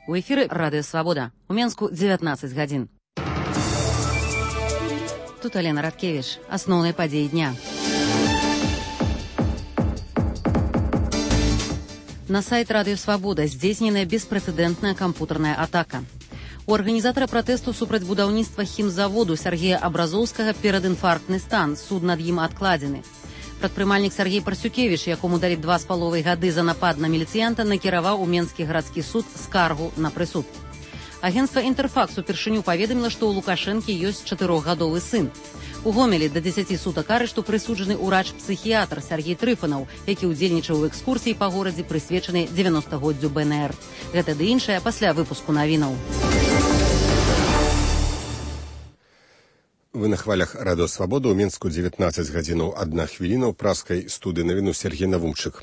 У эфіры Радыё Свабода. У Менску 19 гадзін. Тут Алена Радкевич. Асноўныя падзеі дня. На сайт Радыё Свабода здзейсненая беспрэцэдэнтная кампутарная атака. У арганізатара пратэсту супраць будаўніцтва хімзаводу Сергея Абразоўскага перадінфарктны стан. Суд над ім адкладзены. Прадпрымальнік Сергей Парсюкевіч, якому далі 2,5 гады за напад на міліцыянта, накіраваў у Менскі гарадскі суд скаргу на прысуд. Агенцтва «Інтэрфакс» упершыню паведаміла, што ў Лукашэнкі ёсць 4-гадовы сын. У Гомелі да 10 сутак арышту прысуджаны ўрач-псіхіятр Сергей Трыфанаў, які ўдзельнічаў у экскурсіі па горадзе, прысвечанай 90-годдзю БНР. Гэта ды іншае пасля выпуску навінаў. Вы на хвалях Радыё Свабода. У Менску 19 гадзінаў 1 хвіліна. У праскай студыі навіну Сергей Навумчык.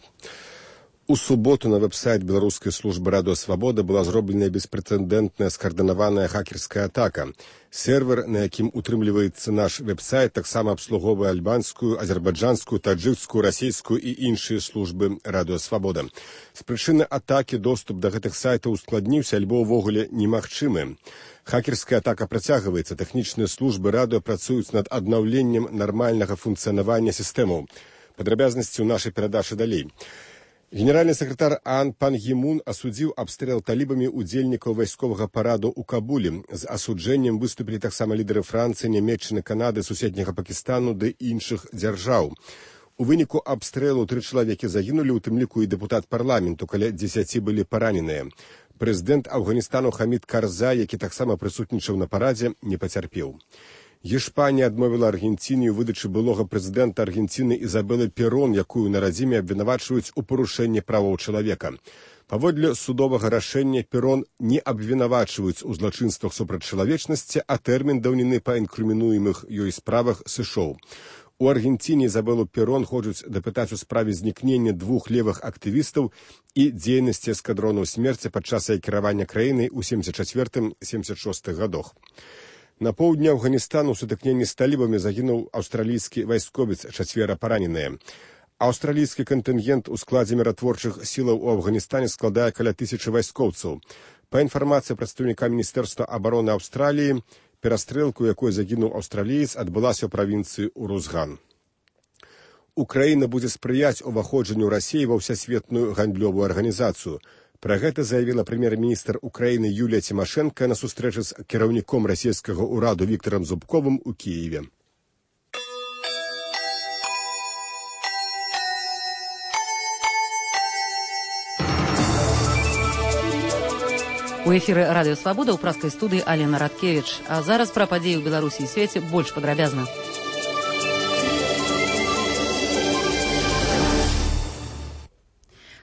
У суботу на веб-сайт беларускай службы Радыё Свабода была зробленая беспрэцэдэнтная скаардынаваная хакерская атака. Сервер, на якім утрымліваецца наш веб-сайт, таксама абслугоўвае альбанскую, азербайджанскую, таджыкскую, расійскую і іншыя службы Радыё Свабода. З прычыны атакі доступ да гэтых сайтаў ускладніўся альбо ўвогуле немагчымы. Хакерская атака працягваецца. Тэхнічныя службы радыё працуюць над аднаўленнем нармальнага функцыянавання сістэмаў. Падрабязнасці ў нашай перадачы далей. Генеральны сакратар ААН Пан Гі Мун асудзіў абстрэл талібамі удзельнікаў вайсковага параду ў Кабулі. З асуджэннем выступілі таксама лідары Францыі, Нямецчыны, Канады, суседняга Пакістану ды іншых дзяржаў. У выніку абстрэлу 3 чалавекі загінулі, у тым ліку і дэпутат парламенту, каля 10 былі параненыя. Прэзідэнт Афганістану Хамід Карзай, які таксама прысутнічаў на парадзе, не пацярпеў. Гішпанія адмовіла Аргенціне ў выдачы былога прэзідэнта Аргенціны Ізабелы Перон, якую на радзіме абвінавачваюць у парушэнні правоў чалавека. Паводле судовага рашэння Перон не абвінавачваюць у злачынствах супраць чалавечнасці, а тэрмін даўніны па інкрымінуемых ёй справах сышоў. У Аргенціне Ізабелу Перон хочуць дапытаць у справе знікнення 2 левых актывістаў і дзейнасці эскадронаў смерці падчас кіравання краінай у 74-76 гадах. На поўдні Афганістану ў сутыкненні з талібамі загінуў аўстралійскі вайсковец, 4 параненыя. Аўстралійскі кантынгент у складзе міратворчых сілаў у Афганістане складае каля 1000 вайскоўцаў. Па інфармацыі прадстаўніка Міністэрства абароны Аўстраліі, перастрэлку, якой загінуў аўстраліец, адбылася ў правінцыі Урузган. Украіна будзе спрыяць уваходжанню Расіі ва ўсесветную гандлёвую арганізацыю. Пра гэта заявіла прэм'ер-міністр Украіны Юлія Цімашэнка на сустрэчы з кіраўніком расійскага ўраду Віктарам Зубковым у Кіеве. У эфіры Радыё Свабода ў праскай студыі Алена Радкевич. А зараз пра падзеі ў Беларусі і свеце больш падрабязна.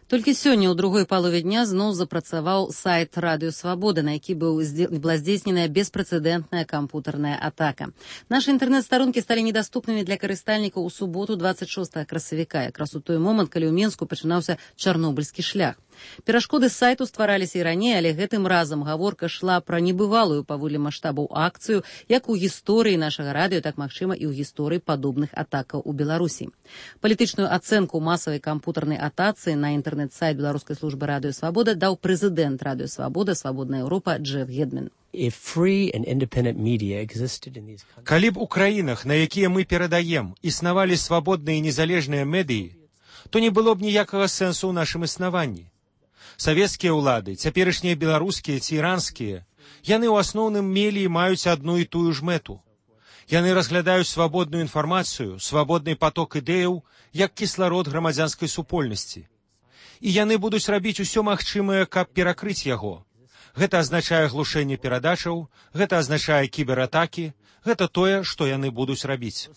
Толькі сёння ў другой палове дня зноў запрацаваў сайт Радыё Свабода, на які была здзейсненая беспрэцэдэнтная кампутарная атака. Нашы інтэрнэт-старонкі сталі недаступнымі для карыстальнікаў у суботу 26 красавіка, якраз у той момант, калі ў Менску пачынаўся чарнобыльскі шлях. Перашкоды сайту ствараліся і раней, але гэтым разам гаворка шла пра небывалую паводле маштабаў акцыю, як у гісторыі нашага радыё, так магчыма і ў гісторыі падобных атакаў у Беларусі. Палітычную ацэнку масавай кампутарнай атацы на інтэрнэт-сайт беларускай службы Радыё Свабода даў прэзідэнт Радыё Свабода, Свабодная Еўропа Джеф Гедман. Калі б у краінах, на якія мы перадаем, існавалі свабодныя і незалежныя медыі, то не было б ніякага сэнсу ў нашым існаванні. Савецкія ўлады, цяперашнія беларускія ці іранскія, яны ў асноўным мелі і маюць адну і тую ж мэту. Яны разглядаюць свабодную інфармацыю, свабодны паток ідэяў, як кісларод грамадзянскай супольнасці. І яны будуць рабіць усё магчымае, каб перакрыць яго. Гэта азначае глушэнне перадачаў, гэта азначае кібератакі, гэта тое, што яны будуць рабіць.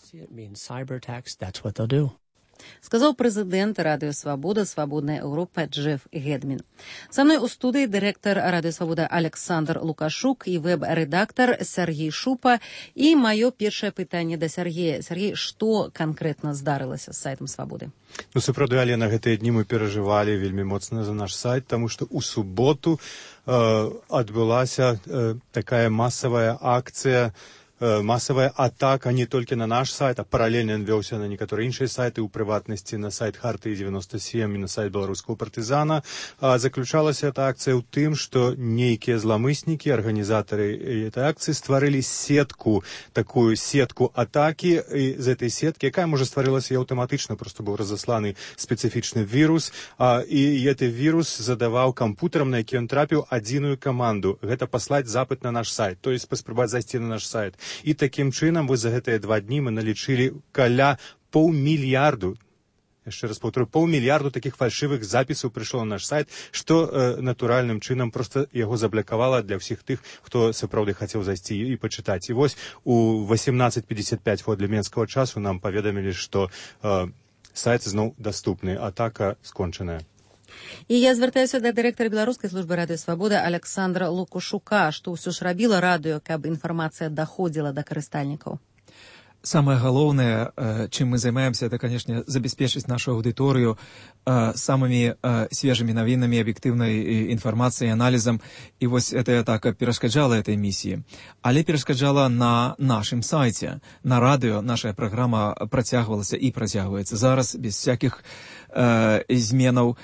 Сказаў прэзідэнт Радыё Свабода, Свабодная Еўропа Джеф Гедман. Са мной у студыі дырэктар Радыё Свабода Александр Лукашук і вэб-рэдактар Сергей Шупа. І маё першае пытанне да Сергея. Сергей, што канкрэтна здарылася з сайтам Свабоды? Сапраўды, Алена, гэтыя дні мы перажывалі вельмі моцна за наш сайт, таму што ў суботу адбылася такая масавая акцыя массовая атака не только на наш сайт, а параллельно он велся на некоторые іншыя сайты, у прыватнасці на сайт Хартыі 97 и на сайт беларускага партызана. Заключалась эта акция ў тым, что нейкія зламыснікі, организаторы этой акции стварылі сетку, такую сетку атаки, и из этой сетки, якая можа стварылася і аўтаматычна, просто быў разасланы спецыфічны вірус, и этот вирус задаваў кампутарам, на які ён трапіў, адзіную каманду. Гэта паслаць запыт на наш сайт, то есть паспрабаваць зайсці на наш сайт. И таким чынам вось за гэтыя 2 дні мы налічылі каля паўмільярду, яшчэ раз паўторю, паўмільярду таких фальшывых запісаў прыйшло на наш сайт, што натуральным чынам просто яго заблакавала для ўсіх тых, хто сапраўды хацеў зайсці і пачытаць. І вось у 18:55 для менскага часу нам паведамілі, што сайт зноў даступны, атака скончаная. І я звяртаюся да дырэктара беларускай службы радыё Свабода Александра Лукашука, што ўсё ж рабіла радыё, каб інфармацыя даходзіла да карыстальнікаў. Самое главное, чем мы занимаемся, это, конечно, забеспечить нашу аудиторию самыми свежими новинами, объективной информацией, анализом. И вот эта атака перешкоджала этой миссии. Але перешкоджала на нашем сайте, на радио. Наша программа протягивалась и протягивается зараз без всяких изменов.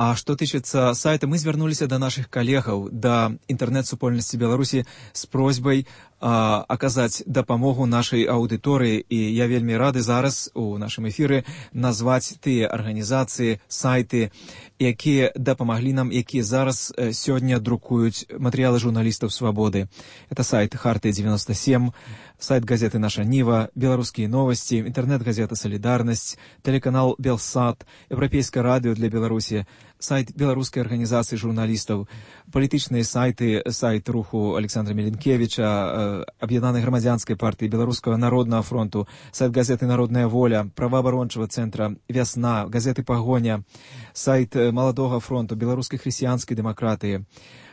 А что тычыцца сайта, мы звярнуліся до наших коллегаў, до интернет-супольнасці Беларусі с просьбой аказаць дапамогу нашай аўдыторыі. І я вельмі рады зараз у нашым эфіры назваць тыя арганізацыі, сайты, якія дапамаглі нам, якія зараз сёння друкуюць матэрыялы журналістаў Свабоды. Это сайт Хартыі 97, сайт газеты «Наша Нива», беларускія новости, интернет-газета «Солидарность», телеканал «Белсат», Европейское радио для Беларуси, сайт беларускай арганізацыі журналістаў, палітычныя сайты, сайт руху Александра Меленкевича, Аб'яднанай грамадзянскай партыі, Беларускага народнага фронту, сайт газеты «Народная воля», праваабарончага цэнтра «Вясна», газеты «Пагоня», сайт Маладога фронту, беларускай хрысціянскай дэмакратыі,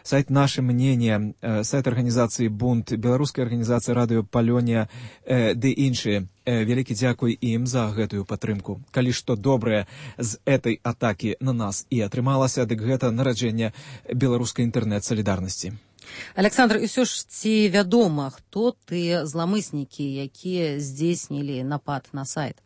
сайт «Наше мнение», сайт организации «Бунт», беларуская организация «Радыё Палёнія» ды іншыя. Вялікі дзякуй ім за гэтую падтрымку. Калі што добрае з этой атакі на нас і атрымалася, дык гэта нараджэнне беларускай інтэрнэт-салідарнасці. Александр, і ўсё ж ці вядома, хто тыя зламыснікі, якія здзейснілі напад на сайт?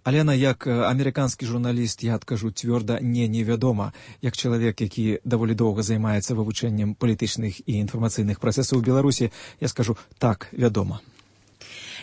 Алена, як амерыканскі журналіст, я адкажу цвёрда, невядома. Як чалавек, які даволі доўга займаецца вывучэннем палітычных і інфармацыйных працэсаў у Беларусі, я скажу, так, вядома.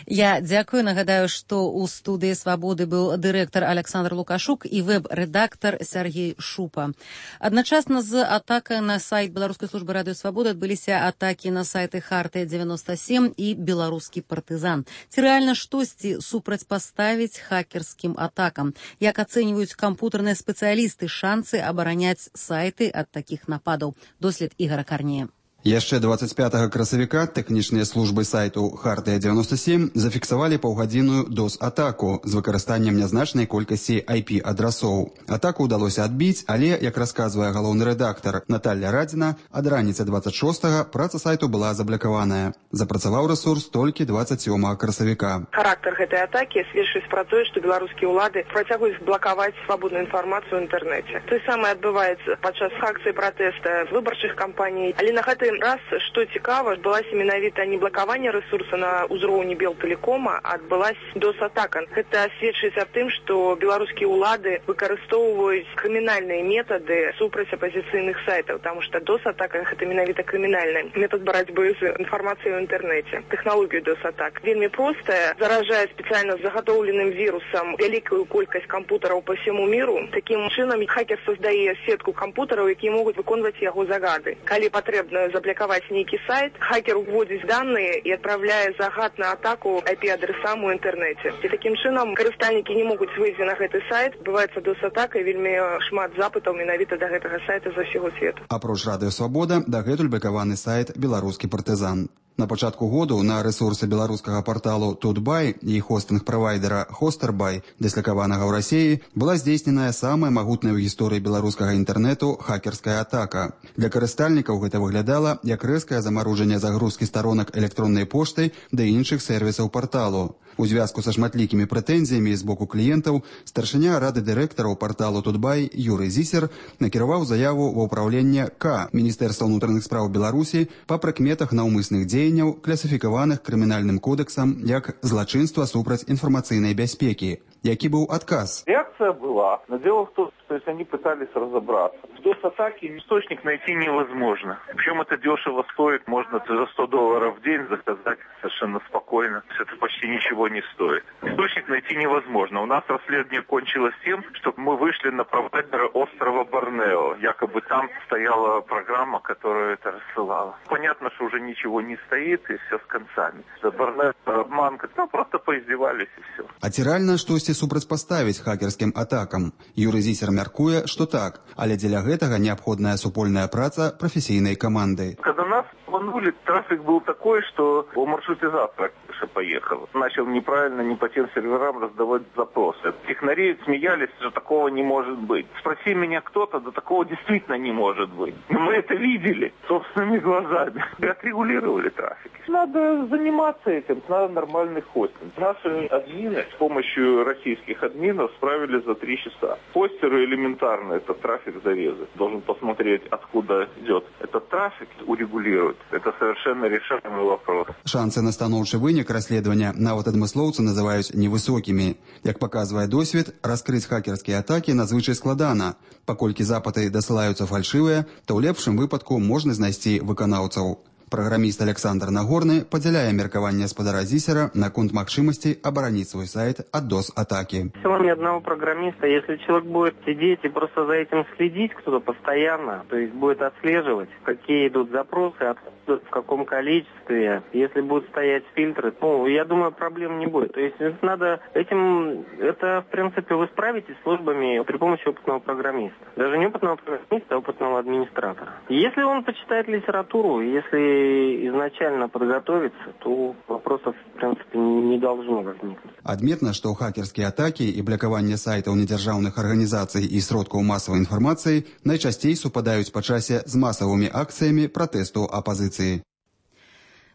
Я дзякую. Нагадаю, што ў студыі Свабоды быў дырэктар Александр Лукашук і вэб-рэдактар Сергей Шупа. Адначасна з атакай на сайт Беларускай службы радыё Свабоды адбыліся атакі на сайты Хартыя 97 і Беларускі партызан. Ці рэальна штосьці супрацьпаставіць хакерскім атакам? Як ацэньваюць кампутарныя спецыялісты шансы абараняць сайты ад такіх нападаў? Дослед Ігора Карнея. Яшчэ 25 красавіка тэхнічныя службы сайту Хартыя 97 зафіксавалі паўгадзінную DOS-атаку з выкарыстаннем нязначнай колькасці IP-адрасоў. Атаку ўдалося адбіць, але, як расказвае галоўны рэдактар Наталья Радзіна, ад раніцы 26-га праца сайту была заблакаваная. Запрацаваў рэсурс толькі 27 красавіка. Характар гэтай атакі сведчыць пра тое, што беларускія ўлады працягваюць блакаваць свабодную інфармацыю ў інтэрнэце. Той самае адбываецца падчас акцыі пратэста выбарчых кампаній, але на гэты раз, што цікава, адбылася менавіта не блакаванне рэсурса на ўзроўні Белтэлекома, а адбылася DOS-атака. Гэта сведчыць аб тым, што беларускія ўлады выкарыстоўваюць крымінальныя метады супраць апазіцыйных сайтаў, таму што DOS-атака гэта менавіта крымінальны метад барацьбы з інфармацыяй у інтэрнэце. Тэхналогію DOS-атак вельмі простая, заражае спецыяльна загатоўленым вірусам вялікую колькасць кампутараў па всяму міру. Такім чынам хакер создае сетку кампутараў, якія могуць выконваць яго загады. Калі патрэбна заблокаваць нейкі сайт, хакер уводзіць данные і адпраўляе загад на атаку IP-адресам у інтэрнэце. І такім чынам карыстальнікі не могуць выйсці на гэты сайт. Бываецца DOS-атака і вельмі шмат запытаў менавіта да гэтага сайта за ўсяго свету. Апроч радыё Свабода, дагэтуль блакаваны сайт «Беларускі партызан». На пачатку году на рэсурсы беларускага парталу Тутбай і хостынг-правайдера Хостербай, дыслакаванага ў Расіі, была здзейсненая самая магутная ў гісторыі беларускага інтэрнэту хакерская атака. Для карыстальнікаў гэта выглядала як рэзкае замарожанне загрузкі старонак электроннай пошты да іншых сервісаў парталу. У звязку са шматлікімі прэтэнзіямі з боку кліентаў старшыня рады дырэктараў парталу Тутбай Юрый Зісер накіраваў заяву ва ўпраўленне К Міністэрства ўнутраных спраў Беларусі па прыкметах наўмысных дзеянняў дзеянняў, класіфікаваных крымінальным кодэксам як злачынства супраць інфармацыйнай бяспекі. Які быў адказ? Реакция была, но дело в том, что они пытались разобраться. В DOS-атаке источник найти невозможно. Причем это дешево стоит, можно за $100 в день заказать совершенно спокойно. Это почти ничего не стоит. Источник найти невозможно. У нас расследование кончилось тем, что мы вышли на провайдера острова Борнео. Якобы там стояла программа, которая это рассылала. Понятно, что уже ничего не стоит, и все с концами. За Борнео обманка, там просто поиздевались и все. А ці рэальна штосьці супрацьпаставіць хакерскім атакам? Юрый Зісер мяркуе, што так, але дзеля гэтага неабходная супольная праца прафесійнай каманды. Когда нас обманули, трафик был такой, что маршрутизатор поехал. Начал неправильно, не по тем серверам раздавать запросы. Технари смеялись, что такого не может быть. Спроси меня кто-то, да такого действительно не может быть. Но мы это видели собственными глазами. И отрегулировали трафик. Надо заниматься этим, надо нормальный хостинг. Наши админы с помощью российских админов справились за 3 часа. Хостеры элементарно этот трафик зарезать. Должен посмотреть, откуда идет этот трафик, урегулировать. Это совершенно решаемый вопрос. Шансы на станоўчы вынік расследавання нават адмыслоўцы называюць невысокімі. Як паказвае досвед, раскрыць хакерскія атакі надзвычай складана. Паколькі запыты дасылаюцца фальшывыя, то ў лепшым выпадку можна знайсці выканаўцаў. Праграміст Александр Нагорны падзяляе меркаванне спадара Зісера наконт магчымасці абараніць свой сайт ад DOS-атаки. Всего ни одного программиста. Если человек будет сидеть и просто за этим следить кто-то постоянно, то есть будет отслеживать, какие идут запросы, откуда, в каком количестве, если будут стоять фильтры, я думаю, проблем не будет. То есть надо это, в принципе, вы справитесь службами при помощи опытного программиста. Даже не опытного программиста, а опытного администратора. Если он почитает литературу, если изначально подготовиться, то вопросов, в принципе, не должно возникнуть. Адметна, што хакерскія атакі і блакаванне сайтаў недзяржаўных арганізацый і сродкаў масавай інфармацыі найчасцей супадаюць па часе з масавымі акцыямі пратэсту апазіцыі.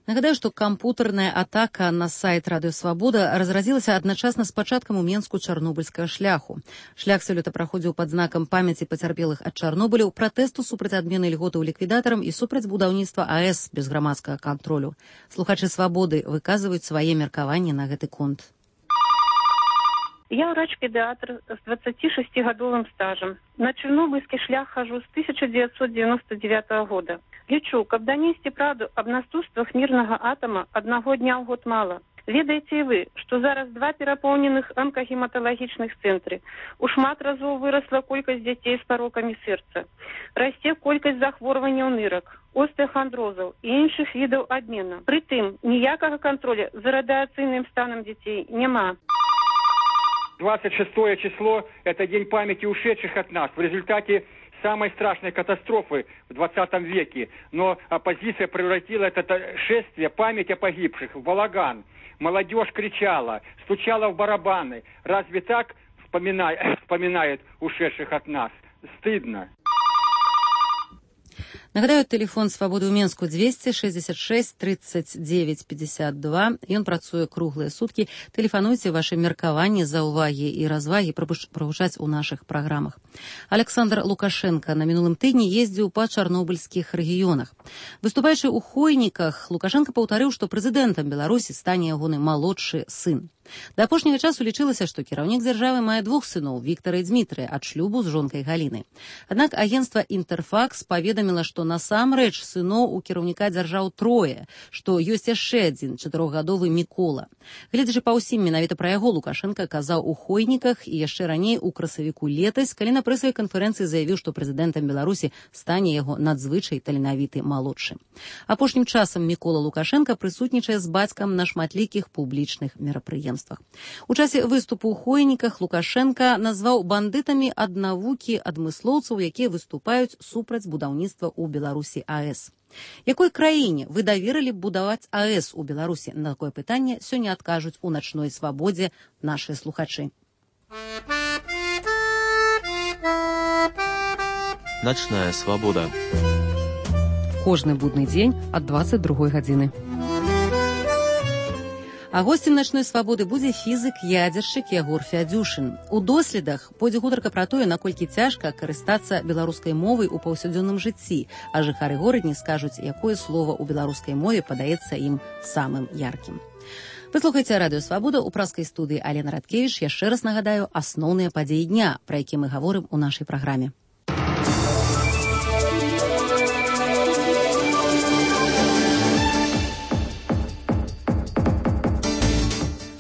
Нагадаю, што кампутарная атака на сайт Радыё Свабода разразілася адначасна з пачаткам у Менску чарнобыльскага шляху. Шлях сёлета праходзіў пад знакам памяці пацярпелых ад Чарнобыля, пратэсту супраць адмены льготаў ліквідатарам і супраць будаўніцтва АЭС без грамадскага кантролю. Слухачы Свабоды выказваюць свае меркаванні на гэты конт. Я врач-педиатр с 26-годовым стажем. На чернобыльский шлях хожу с 1999 года. Лечу, каб донести правду об наступствах мирного атома одного дня в год мало. Ведаеце вы, что зараз 2 перапоўненых онкогематологичных цэнтры. У шмат разоў выросла колькасць дзяцей з парокамі сэрца. Расце колькасць захворванняў нырак, остеохондрозаў і іншых відаў адмена. Прытым, ніякага контроля за радыацыйным станам дзяцей няма. 26 число – это день памяти ушедших от нас в результате самой страшной катастрофы в 20 веке. Но оппозиция превратила это шествие, память о погибших, в балаган. Молодежь кричала, стучала в барабаны. Разве так вспоминает ушедших от нас? Стыдно. Нагадаю, тэлефон Свабоды ў Менску 266 39 52. Ён працуе круглыя суткі. Тэлефануйце вашы меркаванні, заўвагі і развагі прагучаць у нашых праграмах. Александр Лукашенко на мінулым тыдні ездзіў па чарнобыльскіх рэгіёнах. Выступаючы ў Хойніках, Лукашенко паўтарыў, што прэзідэнтам Беларусі стане ягоны малодшы сын. Да апошняга часу лічылася, што кіраўнік дзяржавы мае 2 сыноў, Віктара і Дзмітрыя, ад шлюбу з жонкай Галінай. Аднак агенцтва «Інтэрфакс» паведаміла, што насамрэч сыноў у кіраўніка дзяржаў 3, што ёсць яшчэ адзін 4-гадовы Мікола. Гледзячы па ўсім, менавіта пра яго Лукашенко казаў у Хойніках і яшчэ раней у красавіку летась, калі на прэсавай канферэнцыі заявіў, што прэзідэнтам Беларусі стане яго надзвычай таленавіты малодшы. Апошнім часам Мікола Лукашенко прысутнічае з бацькам на шматлікіх публічных мерапрыемствах. У часе выступу ў Хойніках Лукашенко назваў бандытамі аднавукі адмыслоўцаў, якія выступаюць супраць будаўніцтва ў Беларусі АЭС. Якой краіне вы даверылі будаваць АЭС у Беларусі? На такое пытанне сёння адкажуць у начной свабодзе нашыя слухачы. Начная свабода. Кожны будны дзень ад 22 гадзіны. А гостем начной свабоды будзе фізык-ядзершчык Ягор Фядзюшын. У доследах пойдзе гутарка пра тое, наколькі цяжка карыстацца беларускай мовай у паўсядзённым жыцці, а жыхары горадні скажуць, якое слова ў беларускай мове падаецца ім самым яркім. Вы слухаеце радыё «Свабода», у праскай студыі Алена Радкевіч. Яшчэ раз нагадаю асноўныя падзеі дня, пра які мы гаворым у нашай праграме.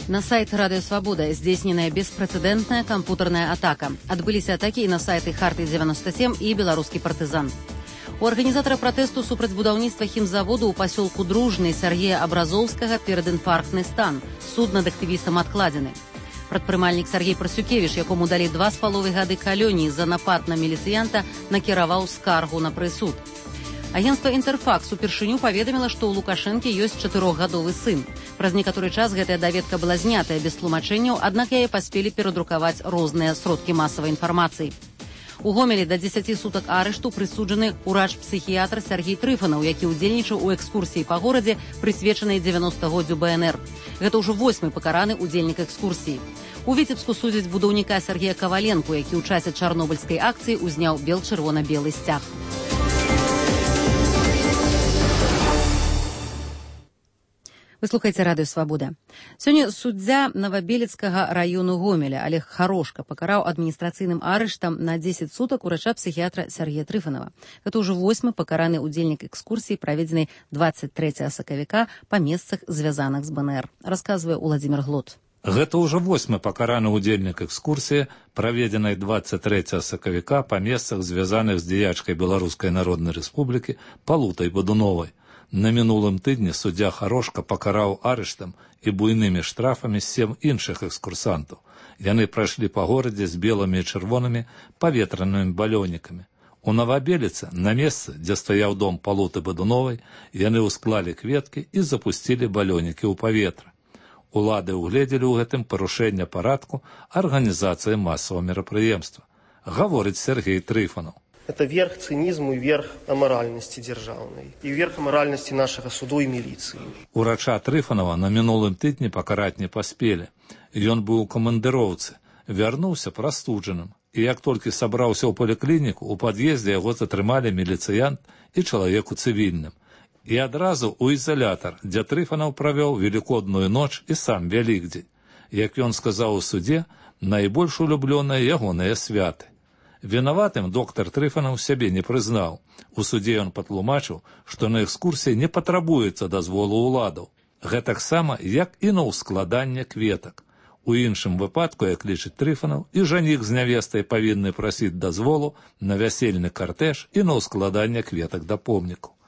На сайт «Радио Свобода» здзейсненая беспрэцэдэнтная кампутарная атака. Адбыліся атакі і на сайты «Харты-97» і «Беларускі партызан». У арганізатара пратэсту супраць будаўніцтва хімзаводу ў пасёлку Дружны Сергея Абразоўскага перадінфарктны стан. Суд над актывістам адкладзены. Прадпрымальнік Сергей Прасюкевіч, якому далі 2,5 гады калоніі за напад на міліцыянта, накіраваў скаргу на прысуд. Агенцтва «Інтэрфакс» упершыню паведаміла, што ў Лукашэнкі ёсць 4-гадовы сын. Праз некаторы час гэтая даведка была знятая без тлумачэнняў, аднак яе паспелі перадрукаваць розныя сродкі масавай інфармацыі. У Гомелі да 10 сутак арышту прысуджаны урач-псіхіятр Сергей Трыфанаў, які ўдзельнічаў у экскурсіі па горадзе, прысвечанай 90-годдзю БНР. Гэта ўжо 8-й пакараны ўдзельнік экскурсіі. У Віцебску судзяць будаўніка Сергея Каваленку, які ў часе чарнобыльскай акцыі узняў бел-чырвона-белы сцяг. Вы слухаеце радыё «Свабода». Сёння суддзя Новабелецкага раёну Гомеля Олег Харошка пакараў адміністрацыйным арыштам на 10 сутак урача-псіхіятра Сергея Трыфанова. Гэта ўжо 8-й пакараны ўдзельнік экскурсіі, праведзенай 23 сакавіка па месцах, звязаных з БНР. Расказвае Уладзімір Глот. Гэта ўжо 8-й пакараны ўдзельнік экскурсіі, праведзенай 23 сакавіка па месцах, звязаных з дзеячкай Беларускай Народнай Рэспублікі Палутай Бадуновай. На мінулым тыдні суддзя Харошка пакараў арыштам і буйнымі штрафамі 7 іншых экскурсантаў. Яны прайшлі па горадзе з белымі і чырвонымі паветранымі балёнікамі. У Новабеліцы, на месцы, дзе стаяў дом Палуты Бадуновай, яны ўсклалі кветкі і запусцілі балёнікі ў паветра. Улады ўгледзелі ў гэтым парушэнне парадку арганізацыі масавага мерапрыемства. Гаворыць Сергей Трыфанаў. Это верх цинизму и верх аморальности державной, и верх аморальности нашего суду и милиции. Урача Трыфанова на мінулым тыдні пакараць не паспелі. Ён быў у камандыроўцы, вярнуўся прастуджаным, і як толькі сабраўся ў паліклініку, у пад'ездзе яго затрымалі міліцыянт і чалавек у цывільным. І адразу ў ізалятар, дзе Трыфанов правёў велікодную ноч і сам Вялікдзень. Як ён сказаў у судзе, найбольш улюблёныя ягоныя святы. Вінаватым доктар Трыфанаў сябе не прызнаў. У судзе ён патлумачыў, што на экскурсіі не патрабуецца дазволу ўладаў. Гэтаксама, як і на ўскладанне кветак. У іншым выпадку, як лічыць Трыфанаў, і жаніх з нявестай павінны прасіць дазволу на вясельны картэж і на ўскладанне кветак да помніку.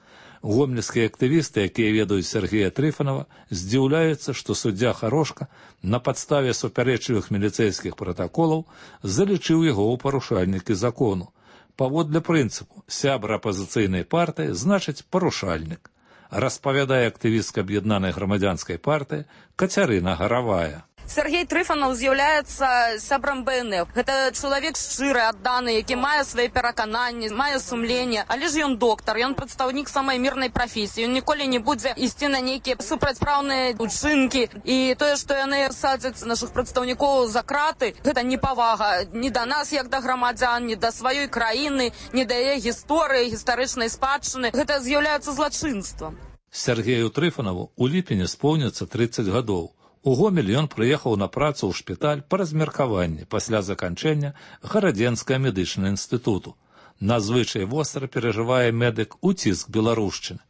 Гомельскія актывісты, якія ведаюць Сергея Трыфанова, здзіўляюцца, што суддзя Харошка на падставе супярэчлівых міліцэйскіх пратаколаў залічыў яго ў парушальнікі закону. Паводле прынцыпу сябра апазіцыйнай партыі значыць парушальнік, распавядае актывістка аб'яднанай грамадзянскай партыі Кацярына Гаравая. Сергей Трыфанов з'яўляецца сябрам БНР. Гэта чалавек шчыры, адданы, які мае свае перакананні, мае сумленне. Але ж ён доктар, ён прадстаўнік самай мірнай прафесіі. Ён ніколі не будзе ісці на нейкія супрацьпраўныя учынкі. І тое, што яны садзяць нашых прадстаўнікоў за краты, гэта непавага ні да нас, як да грамадзян, ні да сваёй краіны, ні да яе гісторыі, гістарычнай спадчыны. Гэта з'яўляецца злачынствам. Сергею Трыфанову у ліпені споўніцца 30 гадоў. У Гомель ён прыехаў на працу ў шпіталь па размеркаванні пасля заканчэння Гарадзенскага медычнага інстытуту. Надзвычай востра перажывае медык уціск беларушчыны.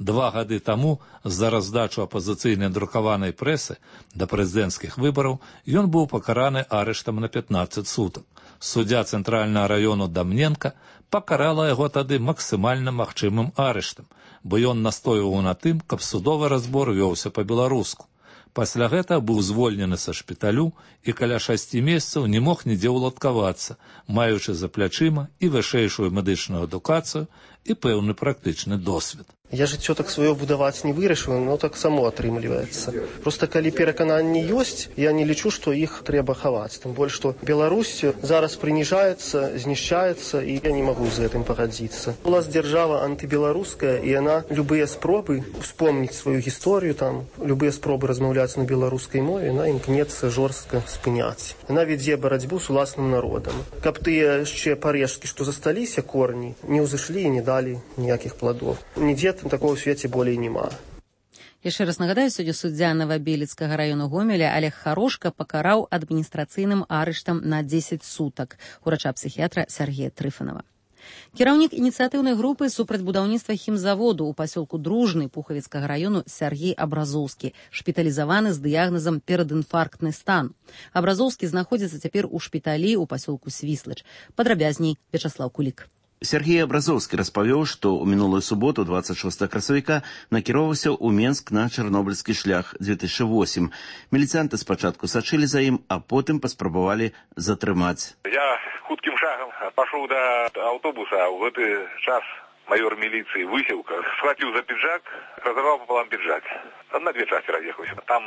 2 гады таму з-за раздачу апазіцыйнай друкаванай прэсы да прэзідэнцкіх выбараў ён быў пакараны арыштам на 15 сутак. Суддзя цэнтральнага раёну Дамненка пакарала яго тады максімальна магчымым арыштам, бо ён настойваў на тым, каб судовы разбор вёўся па-беларуску. Пасля гэта быў звольнены са шпіталю і каля 6 месяцаў не мог нідзе ўладкавацца, маючы за плячыма і вышэйшую медычную адукацыю і пэўны практычны досвед. Я жыццё так сваё будаваць не вырашыў, но так само атрымліваецца. Просто калі перакананні ёсць, я не лічу, што іх трэба хаваць. Тым больш, што Беларусь зараз прыніжаецца, знішчаецца, і я не магу з гэтым пагадзіцца. У нас дзяржава антыбеларуская, і яна любыя спробы успомніць сваю гісторыю, там, любыя спробы размаўляць на беларускай мове, яна імкнецца жорстка спыняць. Яна вядзе барацьбу з уласным народам. Каб тыя яшчэ парэшткі, што засталіся корні, не ўзышлі і не далі ніякіх пладоў. Нідзе такого ў свеце болей няма. Яшчэ раз нагадаю, сёння суддзя Новабелецкага району Гомеля Олег Харошка пакараў адміністрацыйным арыштам на 10 сутак урача-псіхіятра Сергея Трыфанова. Кіраўнік ініцыятыўнай групы супраць будаўніцтва хімзаводу ў пасёлку Дружны Пухавіцкага району Сергей Абразоўскі, шпіталізаваны з дыягназам перадінфарктны стан. Абразоўскі знаходзіцца цяпер у шпіталі ў пасёлку Свіслач. Падрабязней Вячаслаў Кулік. Сергей Абразоўскі распавёў, што ў мінулую суботу, 26 красавіка, накіроўваўся ў Менск на Чарнобыльскі шлях 2008. Міліцыянты спачатку сачылі за ім, а потым паспрабавалі затрымаць. Я хуткім шагам пашоў да аўтобуса, а ў гэты час майор міліцыі Высілка схваціў за піджак, разарваў пополам піджак. На две части раз'ехаўся. Там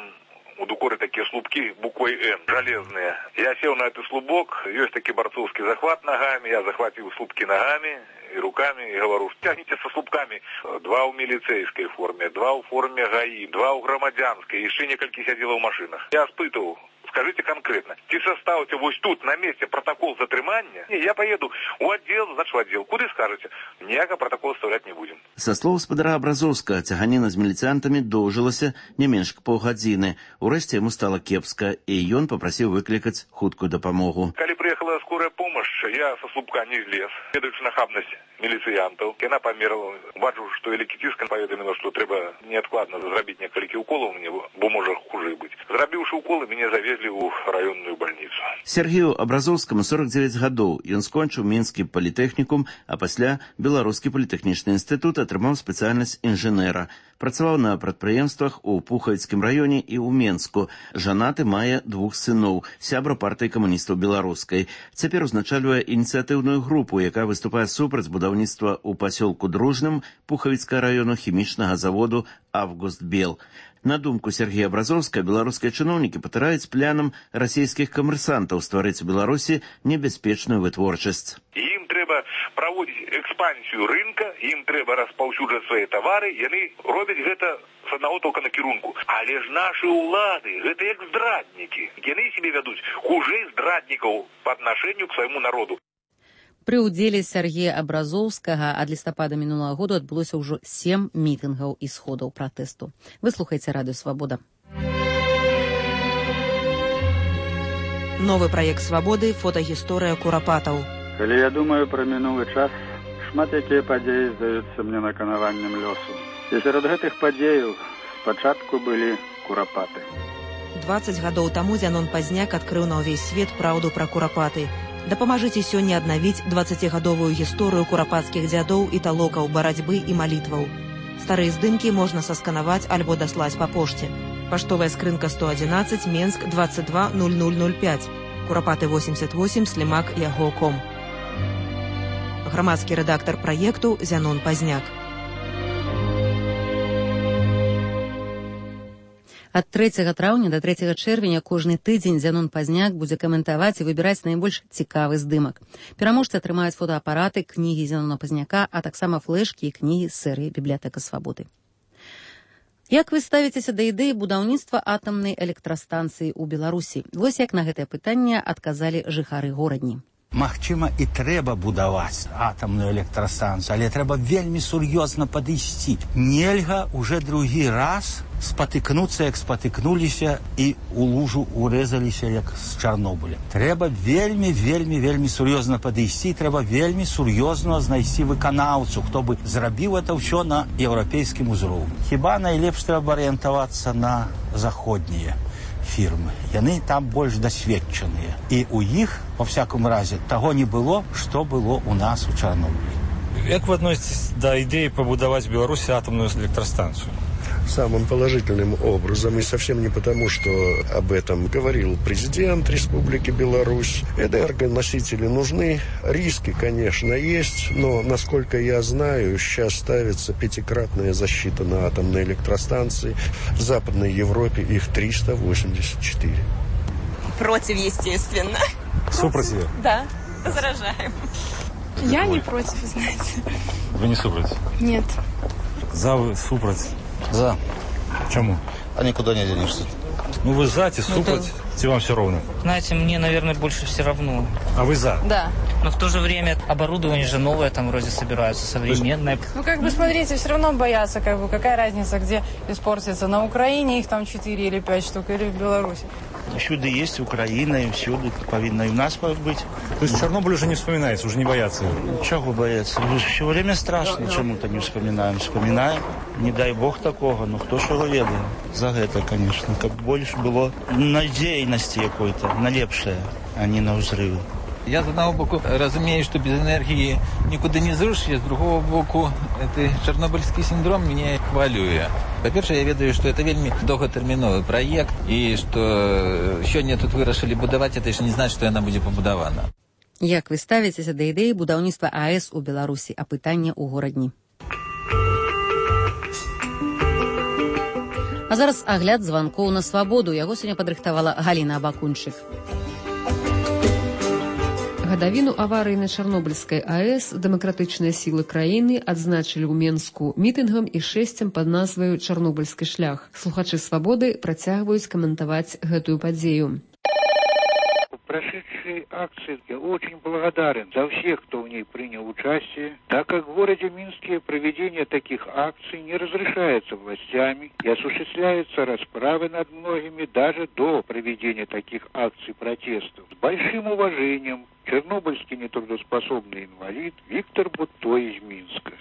у дукоры такие слупки буквой Н, железные. Я сел на этот слубок, есть такой борцовский захват ногами, я захватил слупки ногами и руками и говорю, тягните со слупками. 2 в милицейской форме, 2 в форме ГАИ, 2 в громадянской, еще несколько сидело в машинах. Я испытывал. Скажите конкретно, ці составите вот тут на месте протокол затрымання? Не, я поеду у отдел, значит в отдел. Куды скажете? Ніякого протокол составлять не будем. Со слов спадара Абразоўскага, цяганіна з міліцыянтамі доўжылася не менш к паўгадзіны. Урэшце яму стала кепска, і ён папрасіў выклікаць хуткую дапамогу. Калі приехала скорая помощь, я со слупка не злез. Следуючи нахабность міліцыянтаў, яна памерла. Бачу, што элекітыска паведаміла, што трэба неадкладна зрабіць некалькі уколаў мне, бо можа хуже быць. Зрабіўшы уколы, мяне завезлі ў раённую бальніцу. Сергею Абразоўскаму 49 гадоў. Ён скончыў Мінскі палітэхнікум, а пасля Беларускі палітэхнічны інстытут атрымаў спецыяльнасць інжынера. Працаваў на прадпрыемствах у Пухавіцкім раёне і ў Менску. Жанаты, мае 2 сыноў, сябра партыі камуністаў беларускай. Цяпер узначальвае ініцыятыўную групу, якая выступае супраць будаўніцтва ў пасёлку Дружным Пухавіцкага раёну хімічнага заводу «Августбел». На думку Сергея Абразоўскага, беларускія чыноўнікі патыраюць планам расійскіх камерсантаў стварыць у Беларусі небяспечную вытворчасць. Ім трэба праводзіць экспансію рынка, ім трэба распаўсюджваць свае тавары, яны робяць гэта з аднаго толка накірунку. Але ж нашы ўлады, гэта як здраднікі. Яны сябе вядуць хужэй здраднікаў па аднашэнню к свайму народу. Пры ўдзеле Сергея Абразоўскага ад лістапада мінулага году адбылося ўжо 7 мітынгаў і сходаў пратэсту. Вы слухаеце Радыё Свабода. Новы праект «Свабоды» – фотагісторыя курапатаў. Калі я думаю пра мінулы час, шмат якія падзеі здаюцца мне наканаваннем лёсу. І сярод гэтых падзеяў спачатку былі курапаты. 20 гадоў таму Зянон Пазняк адкрыў на ўвесь свет праўду пра курапаты. Дапамажыце сёння аднавіць 20гадовую гісторыю курапацкіх дзядоў і талокаў, барацьбы і малітваў. Старыя здымкі можна сасканаваць альбо даслаць па пошце. Паштовая скрынка 111, Менск 220005. Курапаты 88, Слімак, Яго.ком. Грамадскі рэдактар праекту Зянон Пазняк. Ад 3 траўня да 3 чэрвеня кожны тыдзень Зянон Пазняк будзе каментаваць і выбіраць найбольш цікавы здымак. Пераможцы атрымаюць фотоапараты, кнігі Зянона Пазняка, а таксама флэшкі і кнігі з серыі «Бібліятэка Свабоды». Як вы ставіцеся да ідэі будаўніцтва атамнай электрастанцыі ў Беларусі? Вось як на гэтае пытанне адказалі жыхары горадні. Магчыма, і трэба будаваць атамную электрастанцыю, але трэба вельмі сур'ёзна падысці. Нельга уже другі раз спатыкнуцца, як спатыкнуліся, і у лужу урэзаліся, як з Чарнобыля. Трэба вельмі сур'ёзна падысці, трэба вельмі сур'ёзна знайсці выканаўцу, хто бы зрабіў это ўсё на еўрапейскім узроўні. Хіба найлепш трэба арыентавацца на заходнія фірмы. Яны там больш дасведчаныя. І у іх, во всяком разе, таго не было, што было у нас у Чарнобылі. Як вы адносіцесь да ідэі пабудаваць Беларусі атамную электрастанцыю? самым положительным образом. И совсем не потому, что об этом говорил президент Республики Беларусь. Энергоносители нужны. Риски, конечно, есть. Но, насколько я знаю, сейчас ставится 5-кратная защита на атомной электростанции. В Западной Европе их 384. Против, естественно. Супротив? Да, возражаем. Я не против, знаете. Вы не супротив? Нет. За, вы, супротив? За. Чему? А никуда не денешься. Ну вы за, супротив, вам все равно. Знаете, мне, наверное, больше все равно. А вы за? Да. Но в то же время оборудование же новое там вроде собираются, современное. Ну, как бы, смотрите, все равно боятся, как бы, какая разница, где испортится. На Украине их там 4 или 5 штук, или в Беларуси. Всюду есть Украина, и всюду повинно и у нас быть. То есть Чернобыль уже не вспоминается, уже не боятся? Чего бояться? Все время страшно, чему-то не вспоминаем. Вспоминаем, не дай бог такого, но кто ж его ведает. За это, конечно. Как больше было надеянности какой-то, на лепшее, а не на взрывы. Я, з одного боку, розумію, що без енергії нікуди не зрушиш, з другого боку, цей чорнобильський синдром мене хвилює. По-перше, я ведаю, що це вельми довготерміновий проєкт, і що сьогодні тут вирішили будувати, це ж не значить, що вона буде побудована. Як ви ставитеся до ідеї будівництва АЕС у Білорусі, а питання у Городні? А зараз агляд званкоў на свабоду. Яго сёння падрыхтавала Галіна Абакунчык. Гадавіну аварыі на Чарнобыльскай АЭС дэмакратычныя сілы краіны адзначылі ў Менску мітынгам і шэсцем пад назваю «Чарнобыльскі шлях». Слухачы «Свабоды» працягваюць каментаваць гэтую падзею. Прошедшей акции я очень благодарен за всех, кто в ней принял участие, так как в городе Минске проведение таких акций не разрешается властями и осуществляются расправы над многими даже до проведения таких акций протестов. С большим уважением, чернобыльский нетрудоспособный инвалид Виктор Бутто из Минска.